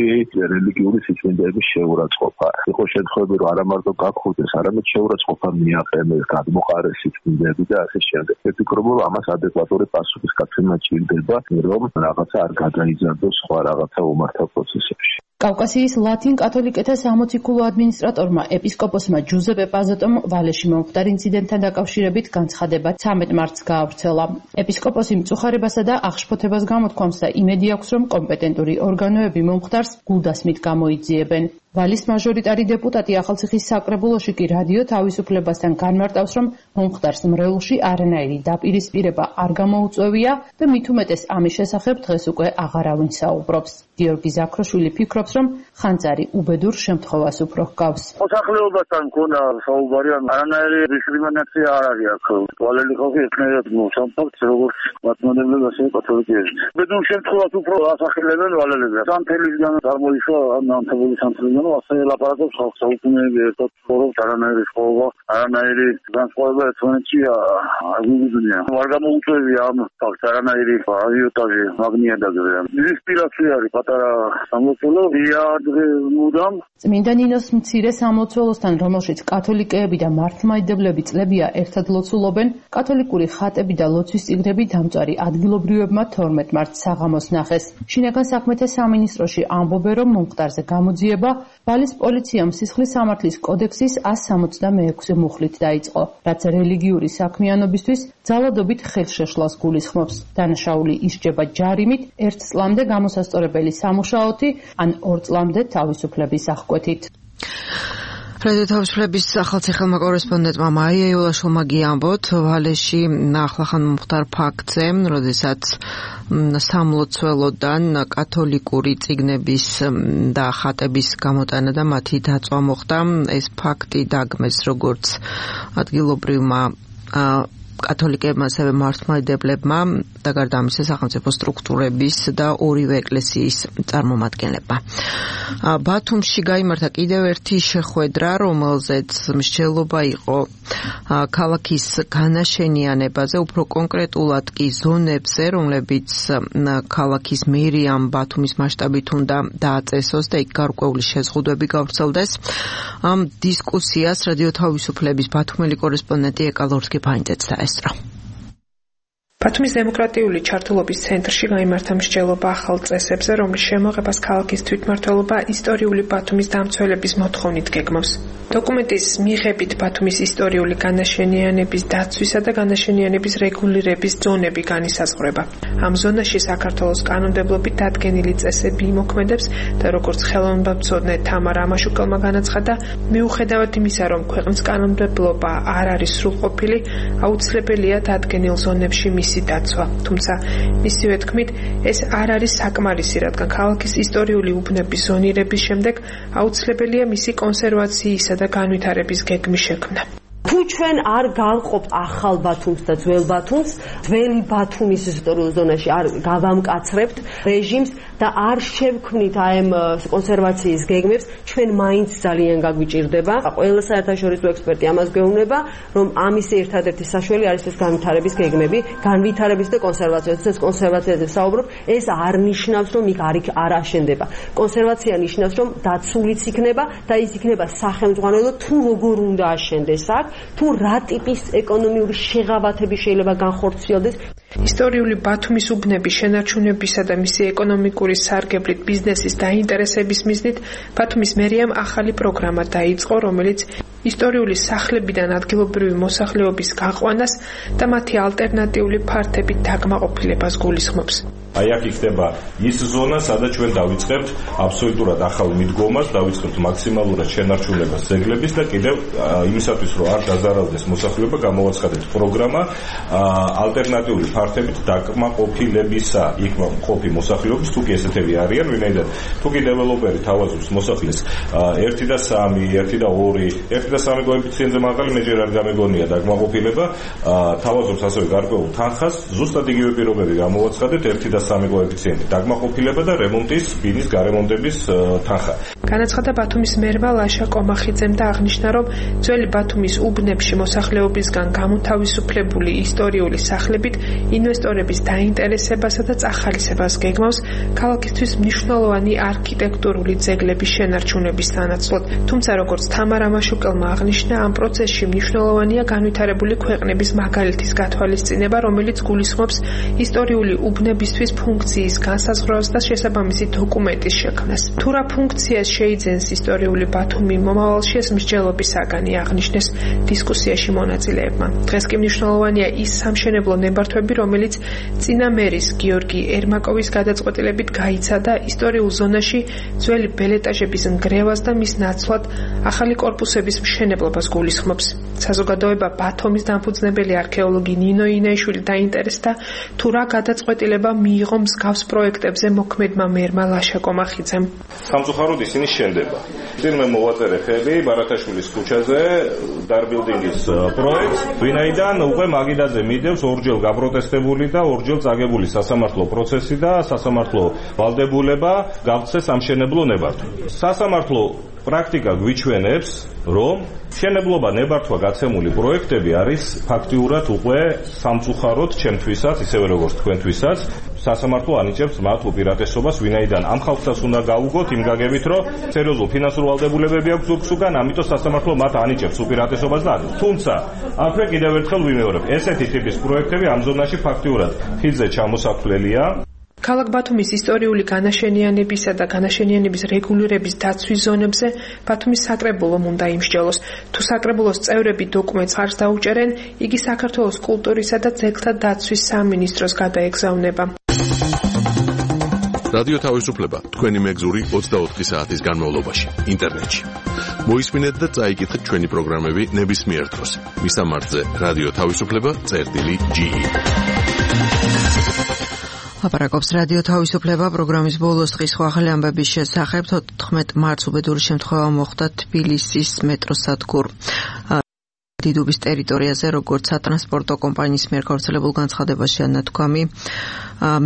რელიგიური სიწმინდეების შეურაცხყოფა. იყო შემთხვევები, რომ არა მარტო გაქხურდეს, არამედ შეურაცხყოფა მიაყენეს, მოყარეს სიწმინდეები და ასე შემდეგ. ვფიქრობ, რომ ამას ადეკვატური პასუხისგაცემა ჭირდება, რომ რაღაცა არ გადაიზარდოს სხვა რაღაცა უმართო პროცესებში. კავკასიის ლათინ კათოლიკეთა სამოციქულო ადმინისტრატორმა ეპისკოპოსმა ჯუზეპე პაზოტომ ვალეში მომხდარ ინციდენტთან დაკავშირებით განცხადება ცამეტ მარტს გაავრცელა. ეპისკოპოსი მწუხარებასა და აღშფოთებას გამოთქვამს და იმედი აქვს, რომ კომპეტენტური ორგანოები მომხდარს გულდასმით გამოიძიებენ. ვალის მაჟორიტარი დეპუტატი ახალციხის საკრებულოში კი რადიო თავისუფლებასთან განმარტავს, რომ მომხდარს მრევლში არანაირი დაპირისპირება არ გამოუწვევია და მით უმეტეს ამის შესახებ დღეს უკვე აღარავინ საუბრობს. გიორგი ზაქროშვილი ფიქრობს, რომ ხანძარი უბედურ შემთხვევას უფრო ჰგავს. მოსახლეობასთან მქონდა საუბარი, არანაირი დისკრიმინაცია არ არის აქ. ვალელი ხალხი ეკნებათ მოსამფაქტს, როგორც მართლმადიდებლები, ასევე კათოლიკეები. უბედურ შემთხვევას უფრო ასახელებენ ვალელები. სანთელისგან წარმოიშვა ანთებული სანთელი ასე ლაპარაკობს ხალხს საუკუნეები ერთად ცხოვრობს, არანაირი სხოლა, არანაირი განსხვავება ერთმანეთში არ გვიგზნია. არ გამოუწვევია ამ ფაქტს არანაირი აჟიოტაჟი მაგნიადაგზე. ინსპირაცია არის პატარა სამლოცველო, იადრე მუდამ. წმინდა ნინოს მცირე სამლოცველოსთან, რომელშიც კათოლიკეები და მართლმადიდებლები წლებია ერთად ლოცულობენ, კათოლიკური ხატები და ლოცვის წიგნები დამწვარი ადგილობრივებმა თორმეტ მარტს საღამოს ნახეს. შინაგან საქმეთა სამინისტროში ამბობენ, რომ მომხდარზე გამოძიება ვალის პოლიციამ სისხლის სამართლის კოდექსის ას სამოცდამეექვსე მუხლით დაიწყო, რაც რელიგიური საქმიანობისთვის ძალადობით ხელშეშლას გულისხმობს. დანაშაული ისჯება ჯარიმით, ერთ წლამდე გამოსასწორებელი სამუშაოთი, ან ორ წლამდე თავისუფლების აღკვეთით. რადიო თავისუფლების ახალციხელმა კორესპონდენტმა მაია ევალაშვილმა გიამბოთ ვალეში ახლახან მომხდარ ფაქტზე, როდესაც სამლოცველოდან კათოლიკური წიგნების და ხატების გამოტანა და მათი დაწვა მოხდა. ეს ფაქტი დაგმეს როგორც ადგილობრივმა კათოლიკებმა, ასევე მართლმადიდებლებმა და გარდა ამისა სახელმწიფო სტრუქტურების და ორივე ეკლესიის წარმომადგენლებმა. ბათუმში გაიმართა კიდევ ერთი შეხვედრა, რომელზეც მსჯელობა იყო ქალაქის განაშენიანებაზე, უფრო კონკრეტულად კი ზონებზე, რომლებიც ქალაქის მერიამ ბათუმის მასშტაბით უნდა დააწესოს და იქ გარკვეული შეზღუდვები გავრცელდეს. ამ დისკუსიას რადიო თავისუფლების ბათუმელი კორესპონდენტი ეკა ლორსკი-ფაინძეც დაესწრო. ბათუმის დემოკრატიული ჩართულობის ცენტრში გაიმართა მსჯელობა ახალ წესებზე, რომლის შემოღებას ქალაქის თვითმმართველობა ისტორიული ბათუმის დამცველების მოთხოვნით გეგმავს. დოკუმენტის მიღებით ბათუმის ისტორიული განაშენიანების დაცვისა და განაშენიანების რეგულირების ზონები განისაზღვრება. ამ ზონაში საქართველოს კანონმდებლობით დადგენილი წესები იმოქმედებს და როგორც ხელოვნებაცოდნე თამარ ამაშუკელმა განაცხადა, მიუხედავად იმისა, რომ ქვეყნის კანონმდებლობა არ არის სრულყოფილი, აუცილებელია დადგენილ ზონებში მისი დაცვა. თუმცა მისივე თქმით, ეს არ არის საკმარისი, რადგან ქალაქის ისტორიული უბნების ზონირების შემდეგ აუცილებელია მისი კონსერვაციისა და განვითარების გეგმის შექმნა. თუ ჩვენ არ გავყოფთ ახალ ბათუმს და ძველ ბათუმს, ძველი ბათუმის ისტორიულ ზონაში არ გავამკაცრებთ რეჟიმს და არ შევქმნით აი ამ კონსერვაციის გეგმებს, ჩვენ მაინც ძალიან გაგვიჭირდება. ყველა საერთაშორისო ექსპერტი ამას გვეუბნება, რომ ამის ერთადერთი საშველი არის ეს განვითარების გეგმები, განვითარების და კონსერვაციის. ეს კონსერვაციაზე საუბრობ, ეს არ ნიშნავს, რომ იქ არ აშენდება. კონსერვაცია ნიშნავს, რომ დაცულიც იქნება და ის იქნება სახელმძღვანელო თუ როგორ უნდა აშენდეს აქ, თუ რა ტიპის ეკონომიური შეღავათები შეიძლება განხორციელდეს. ისტორიული ბათუმის უბნების შენარჩუნებისა და მისი ეკონომიკური სარგებლით ბიზნესის დაინტერესების მიზნით ბათუმის მერიამ ახალი პროგრამა დაიწყო, რომელიც ისტორიული სახლებიდან ადგილობრივი მოსახლეობის გაყვანას და მათი ალტერნატიული ფართებით დაკმაყოფილებას გულისხმობს. აი აქ იქნება ის ზონა, სადაც ჩვენ დავიწყებთ აბსოლუტურად ახალ მიდგომას, დავიწყებთ მაქსიმალურად შენარჩუნებას ძეგლების და კიდევ იმისათვის, რომ არ დაზარალდეს მოსახლეობა, გამოვაცხადებთ პროგრამა ალტერნატიული ფართებით დაკმაყოფილებისა. იქ მყოფი მოსახლეობის თუ კი ესეთები არიან, ვინაიდან თუ კი დეველოპერი თავაზობს მოსახლის ერთი და სამი, ერთი და ორი, ერთი და სამი კოეფიციენტზე მაღალი მე ჯერ არ გამეგონია დაკმაყოფილება, თავაზობს ასევე გარკვეულ თანხას, ზუსტად იგივე პირობები გამოვაცხადებთ ერთი და სამი კოეფიციენტი დაგმაყოფილება და რემონტის ბინის გარემონტების თანხა. განაცხადა ბათუმის მერმა ლაშა კომახიძემ და აღნიშნა, რომ ძველი ბათუმის უბნებში მოსახლეობისგან გამოთავისუფლებული ისტორიული სახლებით ინვესტორების დაინტერესებასა და წახალისებას გეგმავს ქალაქისთვის მნიშვნელოვანი არქიტექტურული ძეგლების შენარჩუნების სანაცვლოდ. თუმცა როგორც თამარ ამაშუკელმა აღნიშნა, ამ პროცესში მნიშვნელოვანია განვითარებული ქვეყნების მაგალითის გათვალისწინება, რომელიც გულისხმობს ისტორიული უბნებისთვის ფუნქციის განსაზღვრას და შესაბამისი დოკუმენტის შექმნას. თუ რა ფუნქციას შეიძენს ისტორიული ბათუმი მომავალში, ეს მსჯელობის საგანი აღნიშნეს დისკუსიაში მონაწილეებმა. დღეს კი მნიშვნელოვანია ის სამშენებლო ნებართვები, რომელიც წინა მერის გიორგი ერმაკოვის გადაწყვეტილებით გაიცადა ისტორიულ ზონაში ძველი ბელეტაჟების ნგრევას და მის ნაცვლად ახალი კორპუსების მშენებლობას გულისხმობს. საზოგადოება ბათუმის დამფუძნებელი არქეოლოგი ნინო ინაიშვილი დაინტერესდა, თუ რა გადაწყვეტილება მიიღო მსგავს პროექტებზე მოქმედმა მერმა ლაშა კომახიძემ. სამწუხაროდ ისინი შენდება. წინ მე მოვაწერე ხელი ბარათაშვილის ქუჩაზე დარბილდინგის პროექტს, ვინაიდან უკვე მაგიდაზე მიდევს ორჯერ გაპროტესტებული და ორჯერ წაგებული სასამართლო პროცესი და სასამართლო ვალდებულება გავცეს სამშენებლო ნებართვა. სასამართლო პრაქტიკა გვიჩვენებს, რომ მშენებლობა ნებართვა გაცემული პროექტები არის ფაქტიურად უკვე სამწუხაროდ ჩემთვისაც, ისევე როგორც თქვენთვისაც, სასამართლო ანიჭებს მათ უპირატესობას, ვინაიდან ამ ხალხსაც უნდა გაუგოთ იმ გაგებით, რომ სერიოზულ ფინანსურ ვალდებულებები აქვს ზურგსუგან, ამიტომ სასამართლო მათ ანიჭებს უპირატესობას და თუმცა აქვე კიდევ ერთხელ ვიმეორებ, ესეთი ტიპის პროექტები ამ ზონაში ფაქტიურად ხიდზე ჩამოსახლელია. ქალაქ ბათუმის ისტორიული განაშენიანებისა და განაშენიანების რეგულირების დაცვის ზონებზე ბათუმის საკრებულომ უნდა იმსჯელოს. თუ საკრებულოს წევრები დოკუმენტს ხარს დაუჭერენ, იგი საქართველოს კულტურისა და ძეგლთა დაცვის სამინისტროს გადაეგზავნება. რადიო თავისუფლება თქვენი მეგზური ოცდაოთხი საათის განმავლობაში ინტერნეტში. მოისმინეთ და წაიკითხეთ ჩვენი პროგრამები ნებისმიერ დროს. მისამართზე რადიო თავისუფლება წერტილი ჯი ი. ლაპარაკობს რადიო თავისუფლება პროგრამის ბოლოს დღის ახალი ამბების შესახებ. თოთხმეტ მარტს უბედური შემთხვევა მოხდა თბილისის მეტროსადგურ დიდუბის ტერიტორიაზე, როგორც სატრანსპორტო კომპანიის მიერ გავრცელებულ განცხადებაში ანათქვამი.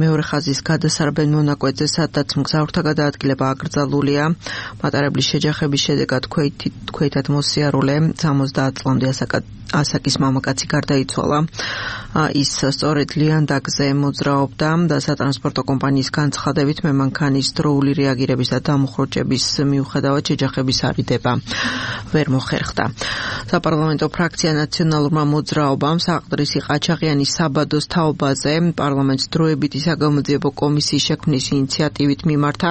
მეორე ხაზის გადასარბენ მონაკვეთზე, სადაც მგზავრთა გადაადგილება აკრძალულია. მატარებლის შეჯახების შედეგად ქვეითად მოსიარულე სამოცდაათ წლამდე ასაკის მამაკაცი გარდაიცვალა. ის სწორედ ლიანდაგზე მოძრაობდა და სატრანსპორტო კომპანიის განცხადებით მემანქანის დროული რეაგირების და დამუხროჭების მიუხედავად შეჯახების არიდება ვერ მოხერხდა. საპარლამენტო ფრაქცია ნაციონალურმა მოძრაობამ საყდრისი ყაჩაღიანის საბადოს თაობაზე პარლამენტს დროებითი საგამოძიებო კომისიის შექმნის ინიციატივით მიმართა.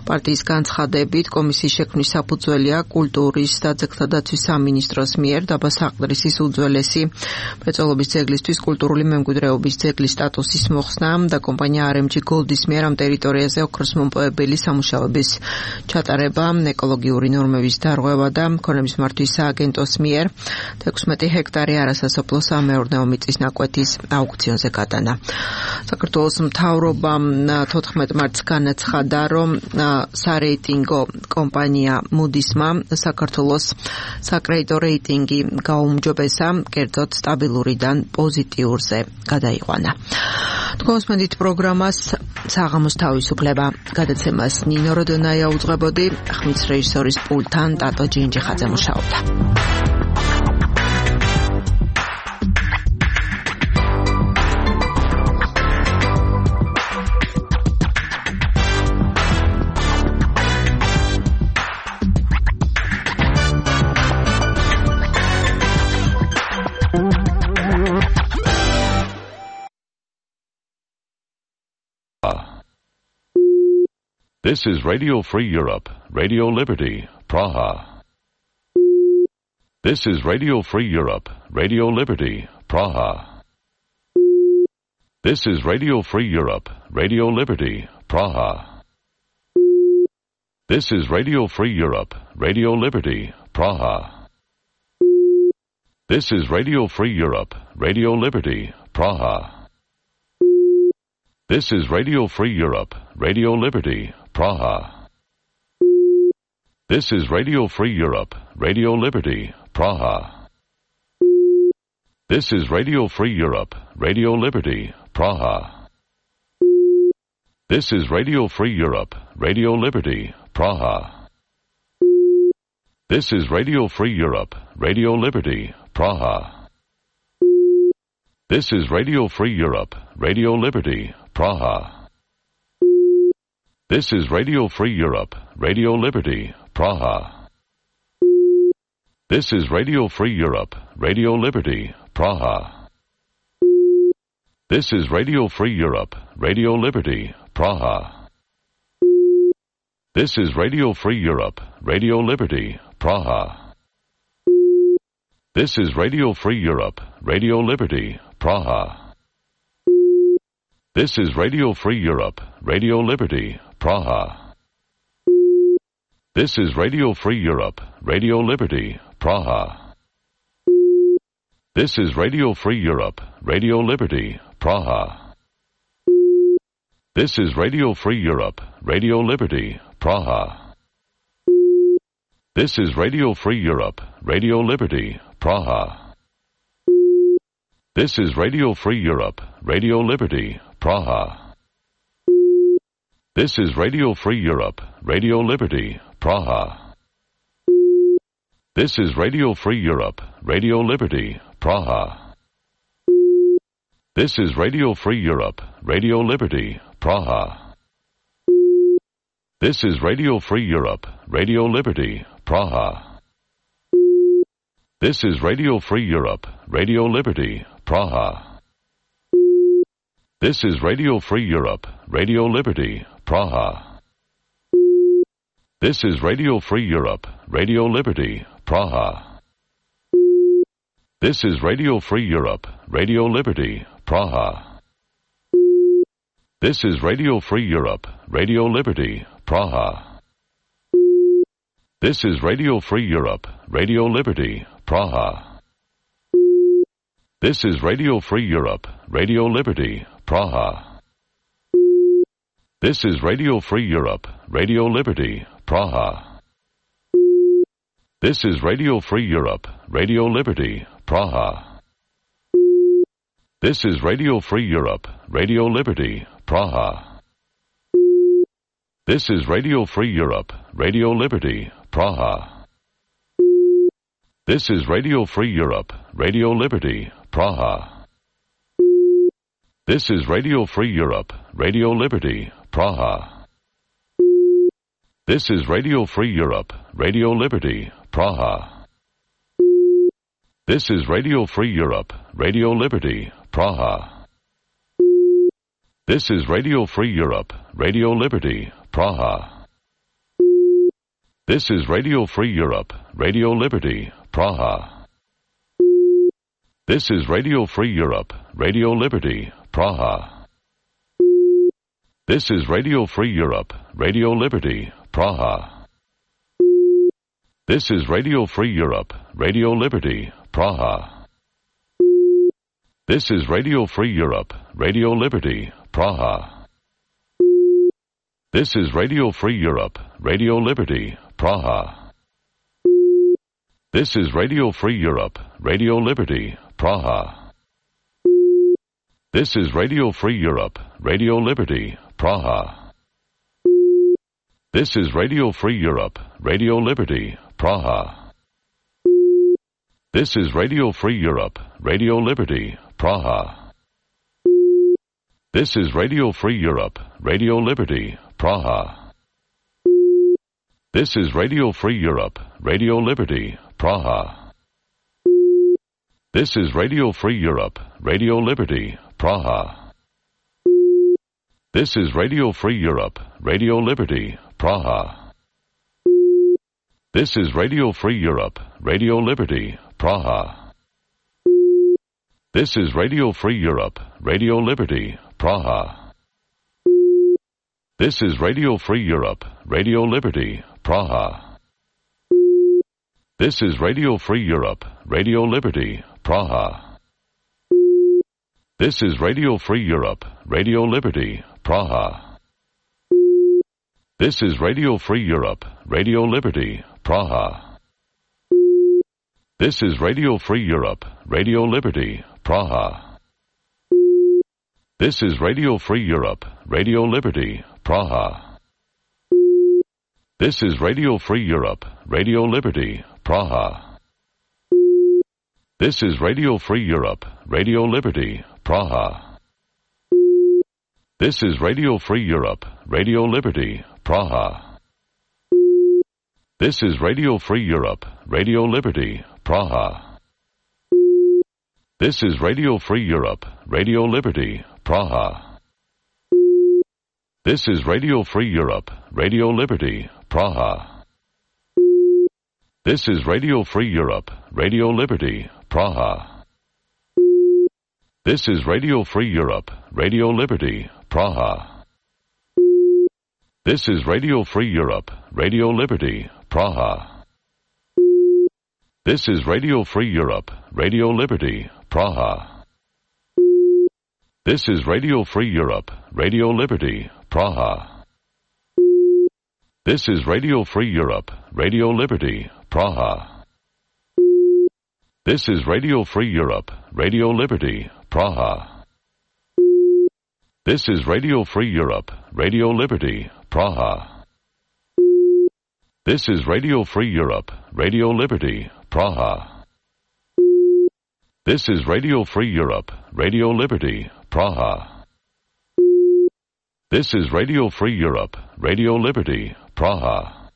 პარტიის განცხადებით კომისიის შექმნის საფუძველია კულტურის და ძეგლთა დაცვის სამინისტროს მიერ დაბა საყდრისის უძველესი მრეწველობის ძეგლისთვის კულტურული მემკვიდრეობის ძეგლის სტატუსის მოხსნა და კომპანია არ ემ ჯი Gold-ის მიერ ამ ტერიტორიაზე ოქროს მომპოვებელი სამუშაოების ჩატარება, ეკოლოგიური ნორმების დარღვევა და მქონების მართვის სააგენტოს მიერ თექვსმეტი ჰექტარი არასასოფლო სამეურნეო მიწის ნაკვეთის აუქციონზე გადანა. საქართველოს მთავრობამ თოთხმეტ მარტს განაცხადა, რომ სარეიტინგო კომპანია Moody's-მა საქართველოს საკრედიტო რეიტინგი გაუმჯობესა, კერძოდ სტაბილურიდან პოზიტიურზე გადაიყვანა. თქვენსმენდით პროგრამას საღამოს თავისუფლება. გადაცემას ნინო როდონაია უძღვებოდი, ხმის რეჟისორის პულტთან ტატო ჯინჯიხაძე მუშაობდა. This is Radio Free Europe, Radio Liberty, Praha. This is Radio Free Europe, Radio Liberty, Praha. This is Radio Free Europe, Radio Liberty, Praha. This is Radio Free Europe, Radio Liberty, Praha. This is Radio Free Europe, Radio Liberty, Praha. This is Radio Free Europe, Radio Liberty, Praha. This is Radio Free Europe, Radio Liberty, Praha. This is Radio Free Europe, Radio Liberty, Praha. This is Radio Free Europe, Radio Liberty, Praha. This is Radio Free Europe, Radio Liberty, Praha. This is Radio Free Europe, Radio Liberty, Praha. This is Radio Free Europe, Radio Liberty, Praha. This is Radio Free Europe, Radio Liberty, Praha. This is Radio Free Europe, Radio Liberty, Praha. This is Radio Free Europe, Radio Liberty, Praha. This is Radio Free Europe, Radio Liberty, Praha. This is Radio Free Europe, Radio Liberty, Praha. This is Radio Free Europe, Radio Liberty, Praha. This is Radio Free Europe, Radio Liberty, Praha. This is Radio Free Europe, Radio Liberty, Praha. This is Radio Free Europe, Radio Liberty, Praha. This is Radio Free Europe, Radio Liberty, Praha. This is Radio Free Europe, Radio Liberty, Praha. This is Radio Free Europe, Radio Liberty, Praha. This is Radio Free Europe, Radio Liberty, Praha. This is Radio Free Europe, Radio Liberty, Praha. This is Radio Free Europe, Radio Liberty, Praha. This is Radio Free Europe, Radio Liberty, Praha. This is Radio Free Europe, Radio Liberty, Praha. This is Radio Free Europe, Radio Liberty, Praha. This is Radio Free Europe, Radio Liberty, Praha. This is Radio Free Europe, Radio Liberty, Praha. This is Radio Free Europe, Radio Liberty, Praha. This is Radio Free Europe, Radio Liberty, Praha. This is Radio Free Europe, Radio Liberty, Praha. This is Radio Free Europe, Radio Liberty, Praha. This is Radio Free Europe, Radio Liberty, Praha. This is Radio Free Europe, Radio Liberty, Praha. This is Radio Free Europe, Radio Liberty, Praha. This is Radio Free Europe, Radio Liberty, Praha. This is Radio Free Europe, Radio Liberty, Praha. This is Radio Free Europe, Radio Liberty, Praha. This is Radio Free Europe, Radio Liberty, Praha. This is Radio Free Europe, Radio Liberty, Praha. This is Radio Free Europe, Radio Liberty, Praha. This is Radio Free Europe, Radio Liberty, Praha. This is Radio Free Europe, Radio Liberty, Praha. This is Radio Free Europe, Radio Liberty, Praha. This is Radio Free Europe, Radio Liberty, Praha. This is Radio Free Europe, Radio Liberty, Praha. This is Radio Free Europe, Radio Liberty, Praha. This is Radio Free Europe, Radio Liberty, Praha. This is Radio Free Europe, Radio Liberty, Praha. This is Radio Free Europe, Radio Liberty, Praha. This is Radio Free Europe, Radio Liberty, Praha. This is Radio Free Europe, Radio Liberty, Praha. This is Radio Free Europe, Radio Liberty, Praha. This is Radio Free Europe, Radio Liberty, Praha. This is Radio Free Europe, Radio Liberty, Praha. This is Radio Free Europe, Radio Liberty, Praha. This is Radio Free Europe, Radio Liberty, Praha. This is Radio Free Europe, Radio Liberty, Praha. This is Radio Free Europe, Radio Liberty, Praha. This is Radio Free Europe, Radio Liberty, Praha. This is Radio Free Europe, Radio Liberty, Praha. This is Radio Free Europe, Radio Liberty, Praha. This is Radio Free Europe, Radio Liberty, Praha. This is Radio Free Europe, Radio Liberty, Praha. This is Radio Free Europe, Radio Liberty, Praha. This is Radio Free Europe, Radio Liberty, Praha. This is Radio Free Europe, Radio Liberty, Praha. This is Radio Free Europe, Radio Liberty, Praha. This is Radio Free Europe, Radio Liberty, Praha. This is Radio Free Europe, Radio Liberty, Praha. This is Radio Free Europe, Radio Liberty, Praha. This is Radio Free Europe, Radio Liberty, Praha. This is Radio Free Europe, Radio Liberty, Praha. This is Radio Free Europe, Radio Liberty, Praha. This is Radio Free Europe, Radio Liberty, Praha. This is Radio Free Europe, Radio Liberty, Praha. This is Radio Free Europe, Radio Liberty, Praha.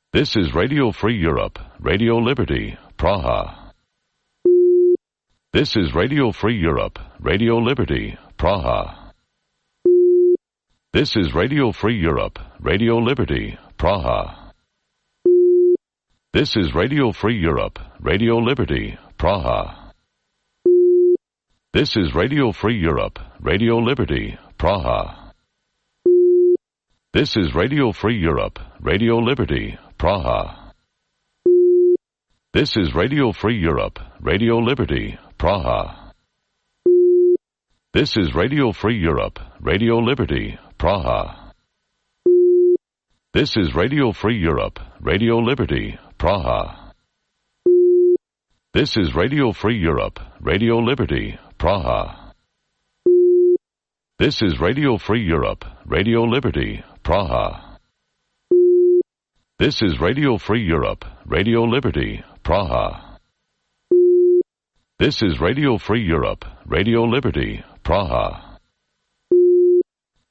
This is Radio Free Europe, Radio Liberty, Praha. This is Radio Free Europe, Radio Liberty, Praha. This is Radio Free Europe, Radio Liberty, Praha. This is Radio Free Europe, Radio Liberty, Praha. This is Radio Free Europe, Radio Liberty, Praha. This is Radio Free Europe, Radio Liberty, Praha. This is Radio Free Europe, Radio Liberty, Praha. This is Radio Free Europe, Radio Liberty, Praha. This is Radio Free Europe, Radio Liberty, Praha. This is Radio Free Europe, Radio Liberty, Praha. This is Radio Free Europe, Radio Liberty, Praha. This is Radio Free Europe, Radio Liberty, Praha. This is Radio Free Europe, Radio Liberty, Praha.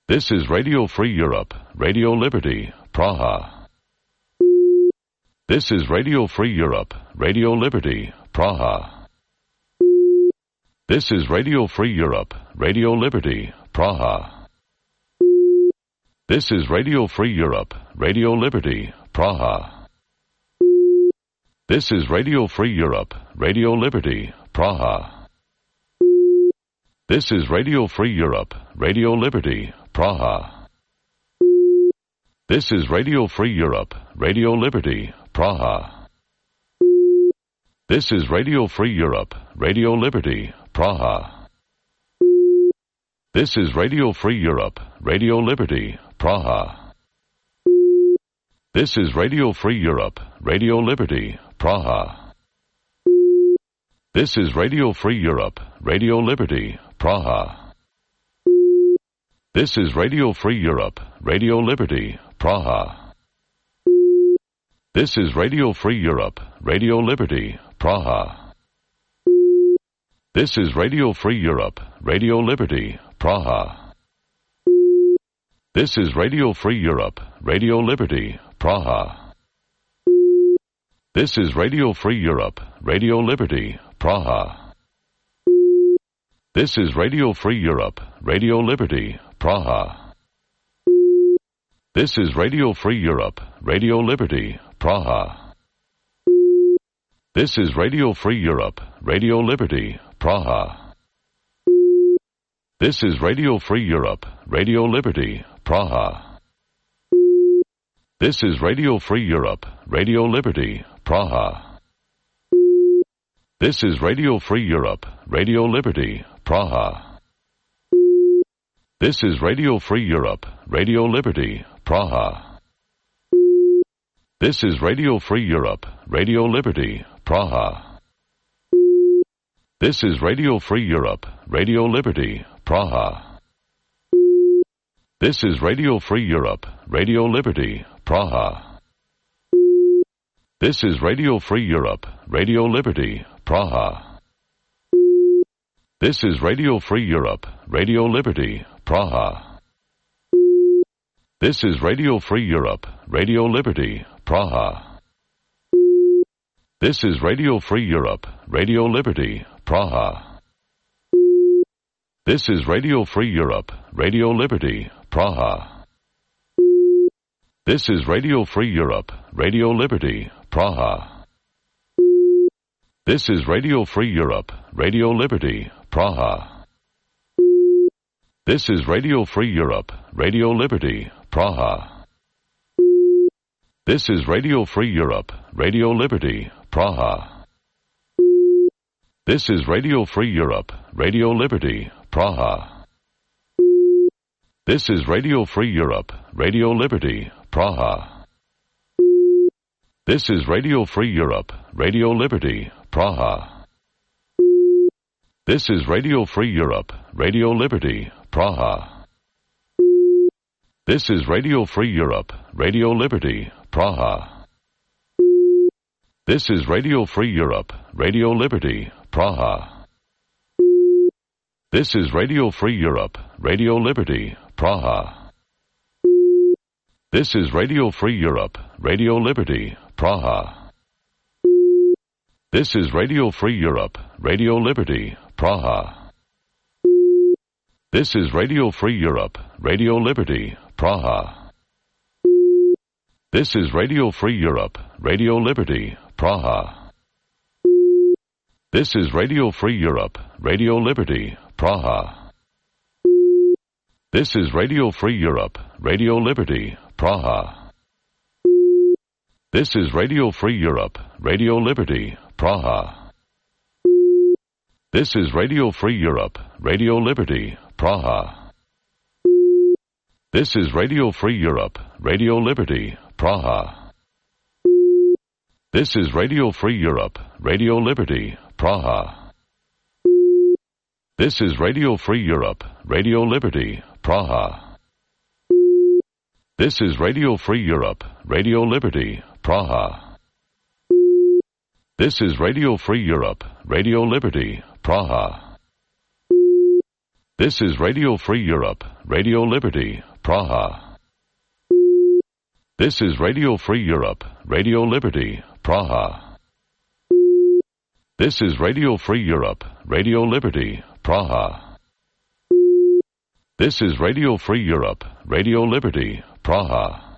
This is Radio Free Europe, Radio Liberty, Praha. This is Radio Free Europe, Radio Liberty, Praha. This is Radio Free Europe, Radio Liberty, Praha. This is Radio Free Europe, Radio Liberty, Praha. This is Radio Free Europe, Radio Liberty, Praha. This is Radio Free Europe, Radio Liberty, Praha. This is Radio Free Europe, Radio Liberty, Praha. This is Radio Free Europe, Radio Liberty, Praha. This is Radio Free Europe, Radio Liberty, Praha. This is Radio Free Europe, Radio Liberty, Praha. This is Radio Free Europe, Radio Liberty, Praha. This is Radio Free Europe, Radio Liberty, Praha. This is Radio Free Europe, Radio Liberty, Praha. This is Radio Free Europe, Radio Liberty, Praha. This is Radio Free Europe, Radio Liberty, Praha. This is Radio Free Europe, Radio Liberty, Praha. This is Radio Free Europe, Radio Liberty, Praha. This is Radio Free Europe, Radio Liberty, Praha. This is Radio Free Europe, Radio Liberty, Praha. This is Radio Free Europe, Radio Liberty, Praha. This is Radio Free Europe, Radio Liberty, Praha. This is Radio Free Europe, Radio Liberty, Praha. This is Radio Free Europe, Radio Liberty, Praha. This is Radio Free Europe, Radio Liberty, Praha. This is Radio Free Europe, Radio Liberty, Praha. This is Radio Free Europe, Radio Liberty, Praha. This is Radio Free Europe, Radio Liberty, Praha. This is Radio Free Europe, Radio Liberty, Praha. This is Radio Free Europe, Radio Liberty, Praha. This is Radio Free Europe, Radio Liberty, Praha. This is Radio Free Europe, Radio Liberty, Praha. This is Radio Free Europe, Radio Liberty, Praha. This is Radio Free Europe, Radio Liberty, Praha. This is Radio Free Europe, Radio Liberty, Praha. This is Radio Free Europe, Radio Liberty, Praha. This is Radio Free Europe, Radio Liberty, Praha. This is Radio Free Europe, Radio Liberty, Praha. This is Radio Free Europe, Radio Liberty, Praha. This is Radio Free Europe, Radio Liberty, Praha. This is Radio Free Europe, Radio Liberty, Praha. This is Radio Free Europe, Radio Liberty, Praha. This is Radio Free Europe, Radio Liberty, Praha. This is Radio Free Europe, Radio Liberty, Praha. This is Radio Free Europe, Radio Liberty, Praha. This is Radio Free Europe, Radio Liberty, Praha. This is Radio Free Europe, Radio Liberty, Praha. This is Radio Free Europe, Radio Liberty, Praha. This is Radio Free Europe, Radio Liberty, Praha. This is Radio Free Europe, Radio Liberty, Praha. This is Radio Free Europe, Radio Liberty, Praha. This is Radio Free Europe, Radio Liberty, Praha. This is Radio Free Europe, Radio Liberty, Praha. This is Radio Free Europe, Radio Liberty, Praha. This is Radio Free Europe, Radio Liberty, Praha. This is Radio Free Europe, Radio Liberty, Praha. This is Radio Free Europe, Radio Liberty, Praha. This is Radio Free Europe, Radio Liberty, Praha. This is Radio Free Europe, Radio Liberty, Praha. This is Radio Free Europe, Radio Liberty, Praha.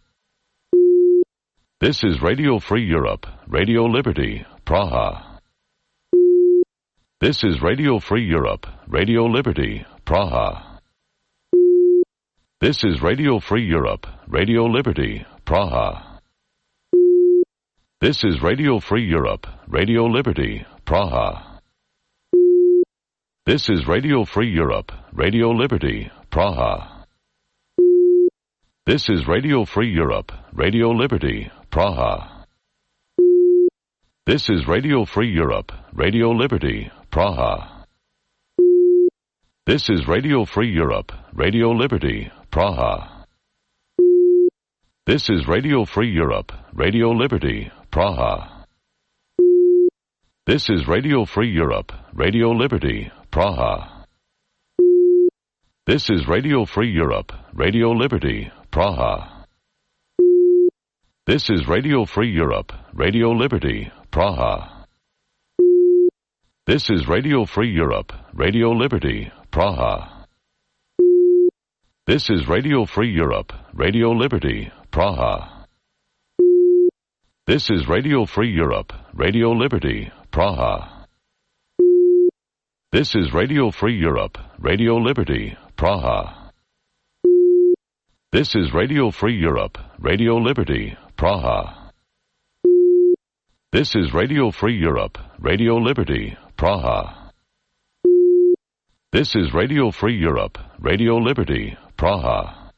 This is Radio Free Europe, Radio Liberty, Praha. This is Radio Free Europe, Radio Liberty, Praha. This is Radio Free Europe, Radio Liberty, Praha. This is Radio Free Europe, Radio Liberty, Praha. This is Radio Free Europe, Radio Liberty, Praha. This is Radio Free Europe, Radio Liberty, Praha. This is Radio Free Europe, Radio Liberty, Praha. This is Radio Free Europe, Radio Liberty, Praha. This is Radio Free Europe, Radio Liberty, Praha. This is Radio Free Europe, Radio Liberty, Praha. This is Radio Free Europe, Radio Liberty, Praha. This is Radio Free Europe, Radio Liberty, Praha. This is Radio Free Europe, Radio Liberty, Praha. This is Radio Free Europe, Radio Liberty, Praha. This is Radio Free Europe, Radio Liberty, Praha. This is Radio Free Europe, Radio Liberty, Praha. This is Radio Free Europe, Radio Liberty, Praha. This is Radio Free Europe, Radio Liberty, Praha. This is Radio Free Europe, Radio Liberty, Praha.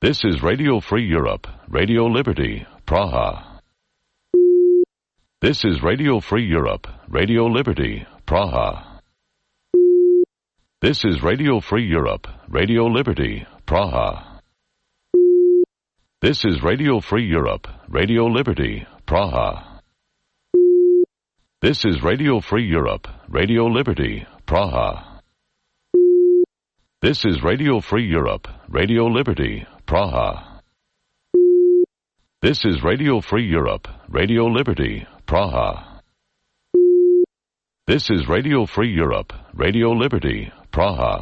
This is Radio Free Europe, Radio Liberty, Praha. This is Radio Free Europe, Radio Liberty, Praha. This is Radio Free Europe, Radio Liberty, Praha. This is Radio Free Europe, Radio Liberty, Praha. This is Radio Free Europe, Radio Liberty, Praha. This is Radio Free Europe, Radio Liberty, Praha. This is Radio Free Europe, Radio Liberty, Praha. This is Radio Free Europe, Radio Liberty, Praha.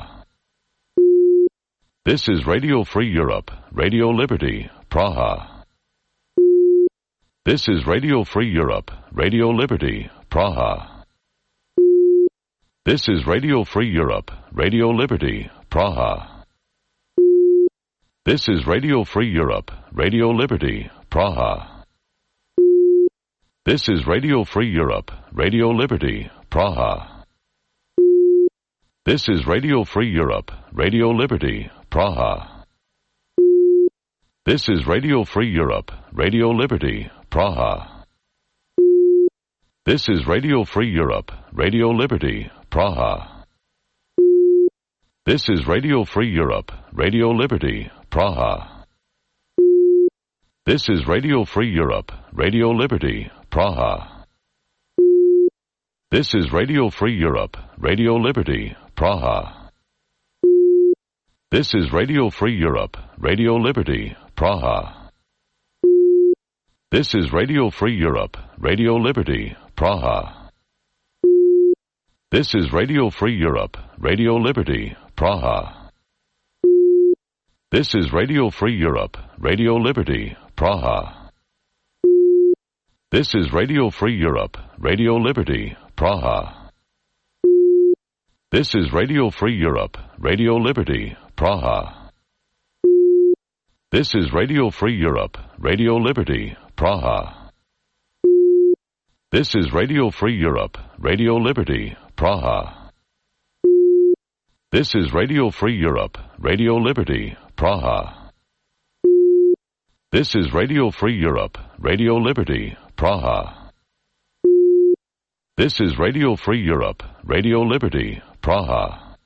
This is Radio Free Europe, Radio Liberty, Praha. This is Radio Free Europe, Radio Liberty, Praha. This is Radio Free Europe, Radio Liberty, Praha. This is Radio Free Europe, Radio Liberty, Praha. This is Radio Free Europe, Radio Liberty, Praha. This is Radio Free Europe, Radio Liberty, Praha. This is Radio Free Europe, Radio Liberty, Praha. This is Radio Free Europe, Radio Liberty, Praha. This is Radio Free Europe, Radio Liberty, Praha. This is Radio Free Europe, Radio Liberty, Praha. This is Radio Free Europe, Radio Liberty, Praha. This is Radio Free Europe, Radio Liberty, Praha. This is Radio Free Europe, Radio Liberty, Praha. This is Radio Free Europe, Radio Liberty, Praha. This is Radio Free Europe, Radio Liberty, Praha. This is Radio Free Europe, Radio Liberty, Praha. This is Radio Free Europe, Radio Liberty, Praha. This is Radio Free Europe, Radio Liberty, Praha. This is Radio Free Europe, Radio Liberty, Praha. This is Radio Free Europe, Radio Liberty, Praha. This is Radio Free Europe, Radio Liberty, Praha. This is Radio Free Europe, Radio Liberty, Praha.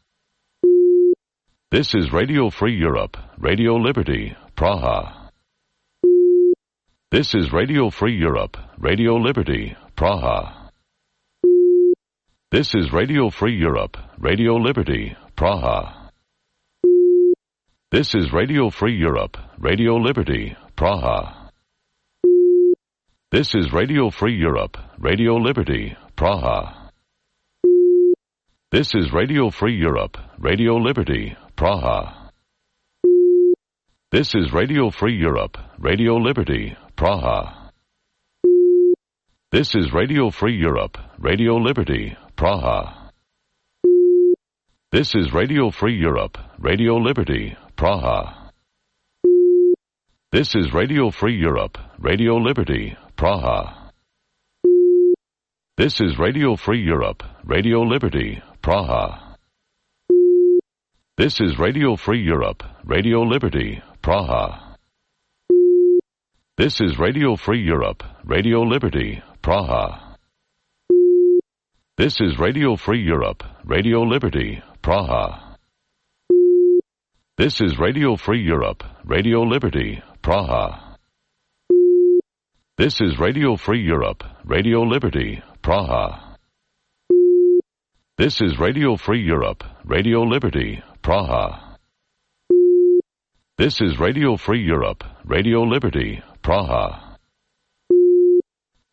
This is Radio Free Europe, Radio Liberty, Praha. This is Radio Free Europe, Radio Liberty, Praha. This is Radio Free Europe, Radio Liberty, Praha. This is Radio Free Europe, Radio Liberty, Praha. This is Radio Free Europe, Radio Liberty, Praha. This is Radio Free Europe, Radio Liberty, Praha. This is Radio Free Europe, Radio Liberty, Praha. This is Radio Free Europe, Radio Liberty, Praha. This is Radio Free Europe, Radio Liberty, Praha. This is Radio Free Europe, Radio Liberty, Praha. This is Radio Free Europe, Radio Liberty, Praha. This is Radio Free Europe, Radio Liberty, Praha. This is Radio Free Europe, Radio Liberty, Praha. This is Radio Free Europe, Radio Liberty, Praha. This is Radio Free Europe, Radio Liberty, Praha. This is Radio Free Europe, Radio Liberty, Praha. This is Radio Free Europe, Radio Liberty, Praha. This is Radio Free Europe, Radio Liberty, Praha.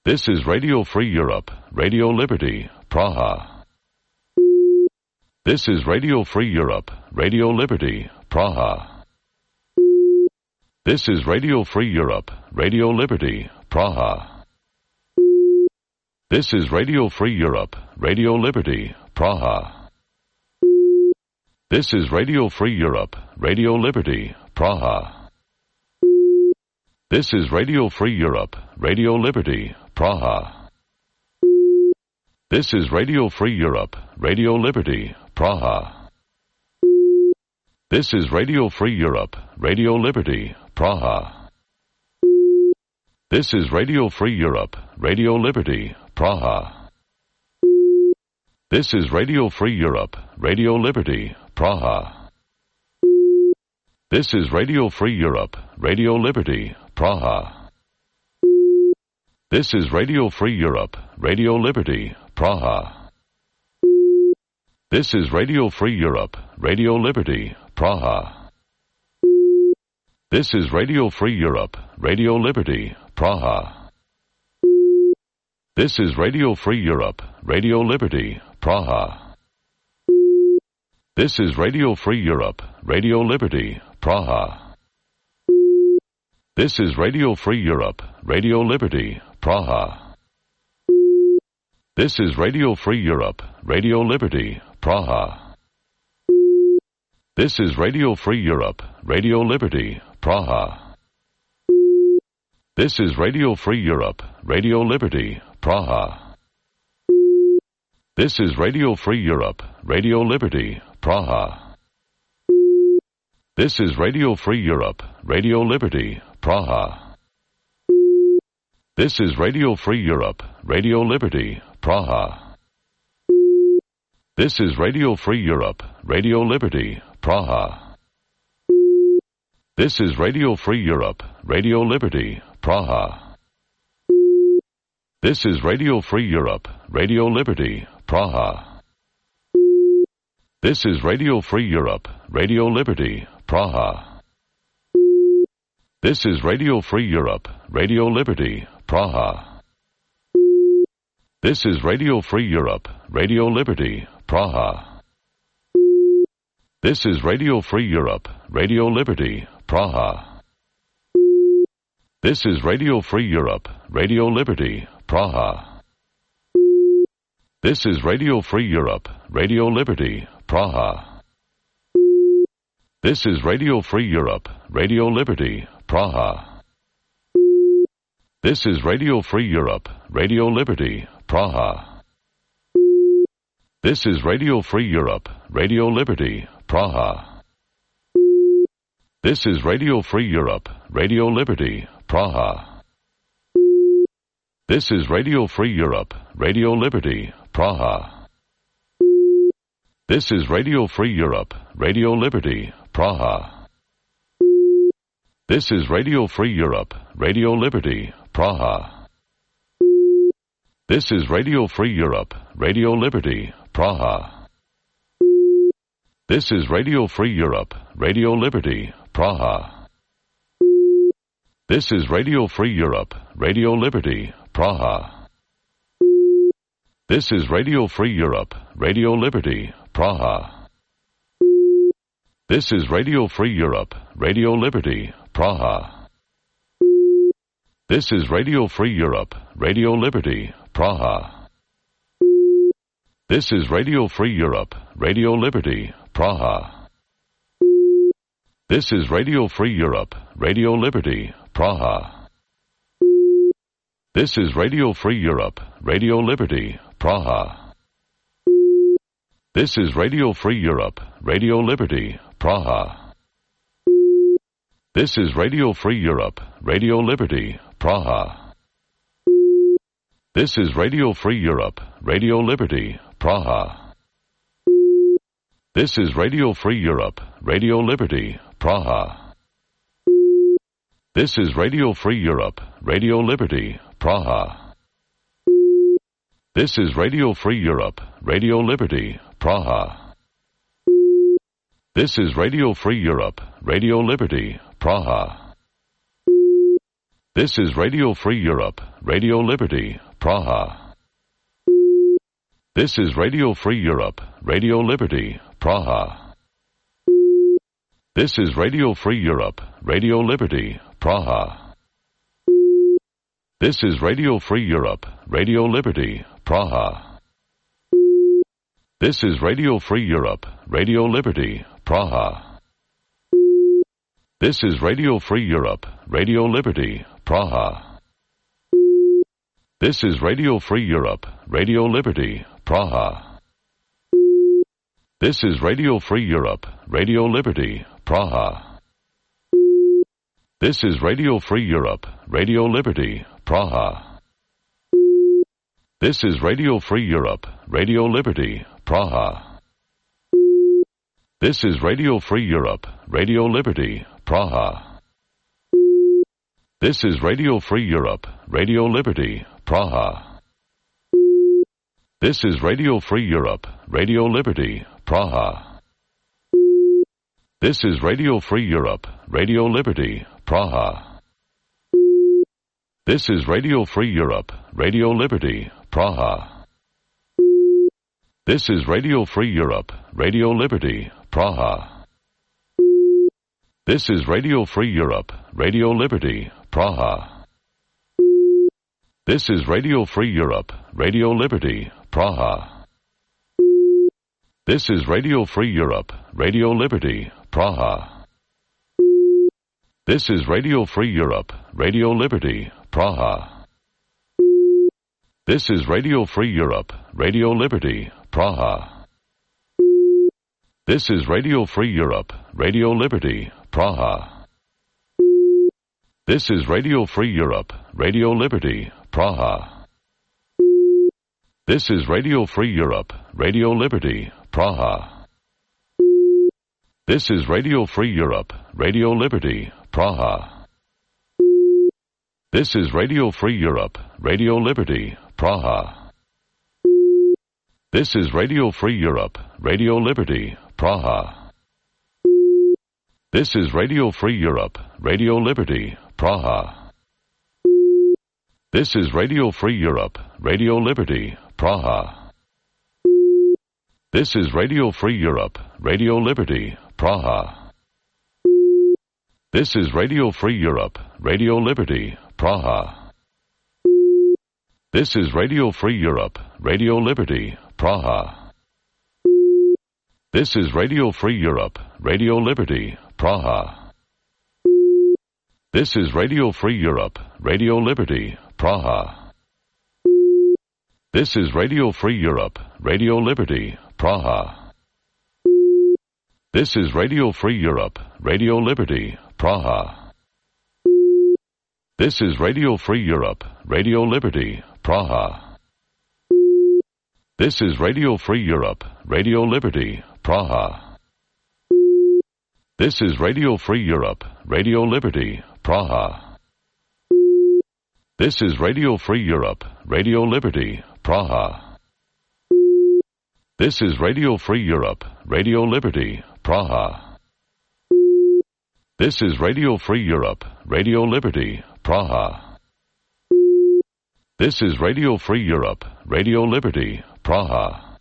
This is Radio Free Europe, Radio Liberty, Praha. This is Radio Free Europe, Radio Liberty, Praha. This is Radio Free Europe, Radio Liberty, Praha. This is Radio Free Europe, Radio Liberty, Praha. This is Radio Free Europe, Radio Liberty, Praha. This is Radio Free Europe, Radio Liberty, Praha. This is Radio Free Europe, Radio Liberty, Praha. This is Radio Free Europe, Radio Liberty, Praha. This is Radio Free Europe, Radio Liberty, Praha. This is Radio Free Europe, Radio Liberty, Praha. This is Radio Free Europe, Radio Liberty, Praha. This is Radio Free Europe, Radio Liberty, Praha. This is Radio Free Europe, Radio Liberty, Praha. This is Radio Free Europe, Radio Liberty, Praha. This is Radio Free Europe, Radio Liberty, Praha. This is Radio Free Europe, Radio Liberty, Praha. This is Radio Free Europe, Radio Liberty, Praha. This is Radio Free Europe, Radio Liberty, Praha. This is Radio Free Europe, Radio Liberty, Praha. This is Radio Free Europe, Radio Liberty, Praha. This is Radio Free Europe, Radio Liberty, Praha. This is Radio Free Europe, Radio Liberty, Praha. This is Radio Free Europe, Radio Liberty, Praha. This is Radio Free Europe, Radio Liberty, Praha. This is Radio Free Europe, Radio Liberty, Praha. This is Radio Free Europe, Radio Liberty, Praha. This is Radio Free Europe, Radio Liberty, Praha. This is Radio Free Europe, Radio Liberty, Praha. This is Radio Free Europe, Radio Liberty, Praha. This is Radio Free Europe, Radio Liberty, Praha. This is Radio Free Europe, Radio Liberty, Praha. This is Radio Free Europe, Radio Liberty, Praha. This is Radio Free Europe, Radio Liberty, Praha. This is Radio Free Europe, Radio Liberty, Praha. This is Radio Free Europe, Radio Liberty, Praha. This is Radio Free Europe, Radio Liberty, Praha. This is Radio Free Europe, Radio Liberty, Praha. This is Radio Free Europe, Radio Liberty, Praha. This is Radio Free Europe, Radio Liberty, Praha. This is Radio Free Europe, Radio Liberty, Praha. This is Radio Free Europe, Radio Liberty, Praha. This is Radio Free Europe, Radio Liberty, Praha. This is Radio Free Europe, Radio Liberty, Praha. This is Radio Free Europe, Radio Liberty, Praha. This is Radio Free Europe, Radio Liberty, Praha. This is Radio Free Europe, Radio Liberty, Praha. This is Radio Free Europe, Radio Liberty, Praha. This is Radio Free Europe, Radio Liberty, Praha. This is Radio Free Europe, Radio Liberty, Praha. This is Radio Free Europe, Radio Liberty, Praha. This is Radio Free Europe, Radio Liberty, Praha. This is Radio Free Europe, Radio Liberty, Praha. This is Radio Free Europe, Radio Liberty, Praha. This is Radio Free Europe, Radio Liberty, Praha. This is Radio Free Europe, Radio Liberty, Praha. This is Radio Free Europe, Radio Liberty, Praha. This is Radio Free Europe, Radio Liberty, Praha. This is Radio Free Europe, Radio Liberty, Praha. This is Radio Free Europe, Radio Liberty, Praha. This is Radio Free Europe, Radio Liberty, Praha. This is Radio Free Europe, Radio Liberty, Praha. This is Radio Free Europe, Radio Liberty, Praha. This is Radio Free Europe, Radio Liberty, Praha. This is Radio Free Europe, Radio Liberty, Praha. This is Radio Free Europe, Radio Liberty, Praha. This is Radio Free Europe, Radio Liberty, Praha. This is Radio Free Europe, Radio Liberty, Praha. This is Radio Free Europe, Radio Liberty, Praha. This is Radio Free Europe, Radio Liberty, Praha. This is Radio Free Europe, Radio Liberty, Praha. This is Radio Free Europe, Radio Liberty, Praha. This is Radio Free Europe, Radio Liberty, Praha. This is Radio Free Europe, Radio Liberty, Praha. This is Radio Free Europe, Radio Liberty, Praha. This is Radio Free Europe, Radio Liberty, Praha. This is Radio Free Europe, Radio Liberty, Praha. This is Radio Free Europe, Radio Liberty, Praha. This is Radio Free Europe, Radio Liberty, Praha. This is Radio Free Europe, Radio Liberty, Praha. This is Radio Free Europe, Radio Liberty, Praha. This is Radio Free Europe, Radio Liberty, Praha. This is Radio Free Europe, Radio Liberty, Praha. This is Radio Free Europe, Radio Liberty, Praha. This is Radio Free Europe, Radio Liberty, Praha. This is Radio Free Europe, Radio Liberty, Praha. This is Radio Free Europe, Radio Liberty, Praha. This is Radio Free Europe, Radio Liberty, Praha. This is Radio Free Europe, Radio Liberty, Praha. This is Radio Free Europe, Radio Liberty, Praha. This is Radio Free Europe, Radio Liberty, Praha. This is Radio Free Europe, Radio Liberty, Praha. This is Radio Free Europe, Radio Liberty, Praha. This is Radio Free Europe, Radio Liberty, Praha. This is Radio Free Europe, Radio Liberty, Praha. This is Radio Free Europe, Radio Liberty, Praha. This is Radio Free Europe, Radio Liberty, Praha. This is Radio Free Europe, Radio Liberty, Praha. This is Radio Free Europe, Radio Liberty, Praha.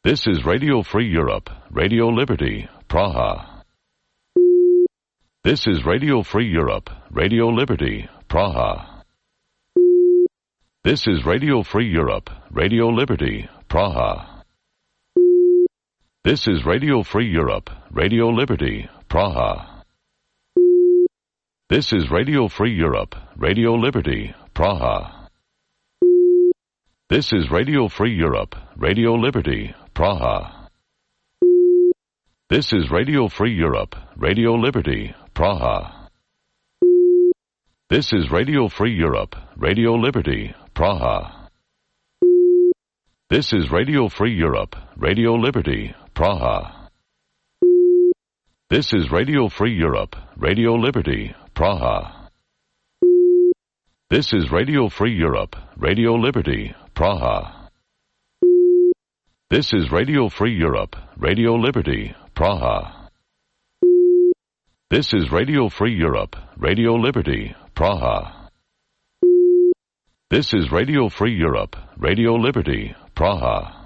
This is Radio Free Europe, Radio Liberty, Praha. This is Radio Free Europe, Radio Liberty, Praha. This is Radio Free Europe, Radio Liberty, Praha. This is Radio Free Europe, Radio Liberty, Praha. This is Radio Free Europe, Radio Liberty, Praha. This is Radio Free Europe, Radio Liberty, Praha. This is Radio Free Europe, Radio Liberty, Praha. This is Radio Free Europe, Radio Liberty, Praha. This is Radio Free Europe, Radio Liberty, Praha. This is Radio Free Europe, Radio Liberty, Praha. This is Radio Free Europe, Radio Liberty, Praha. This is Radio Free Europe, Radio Liberty, Praha. This is Radio Free Europe, Radio Liberty, Praha. This is Radio Free Europe, Radio Liberty, Praha.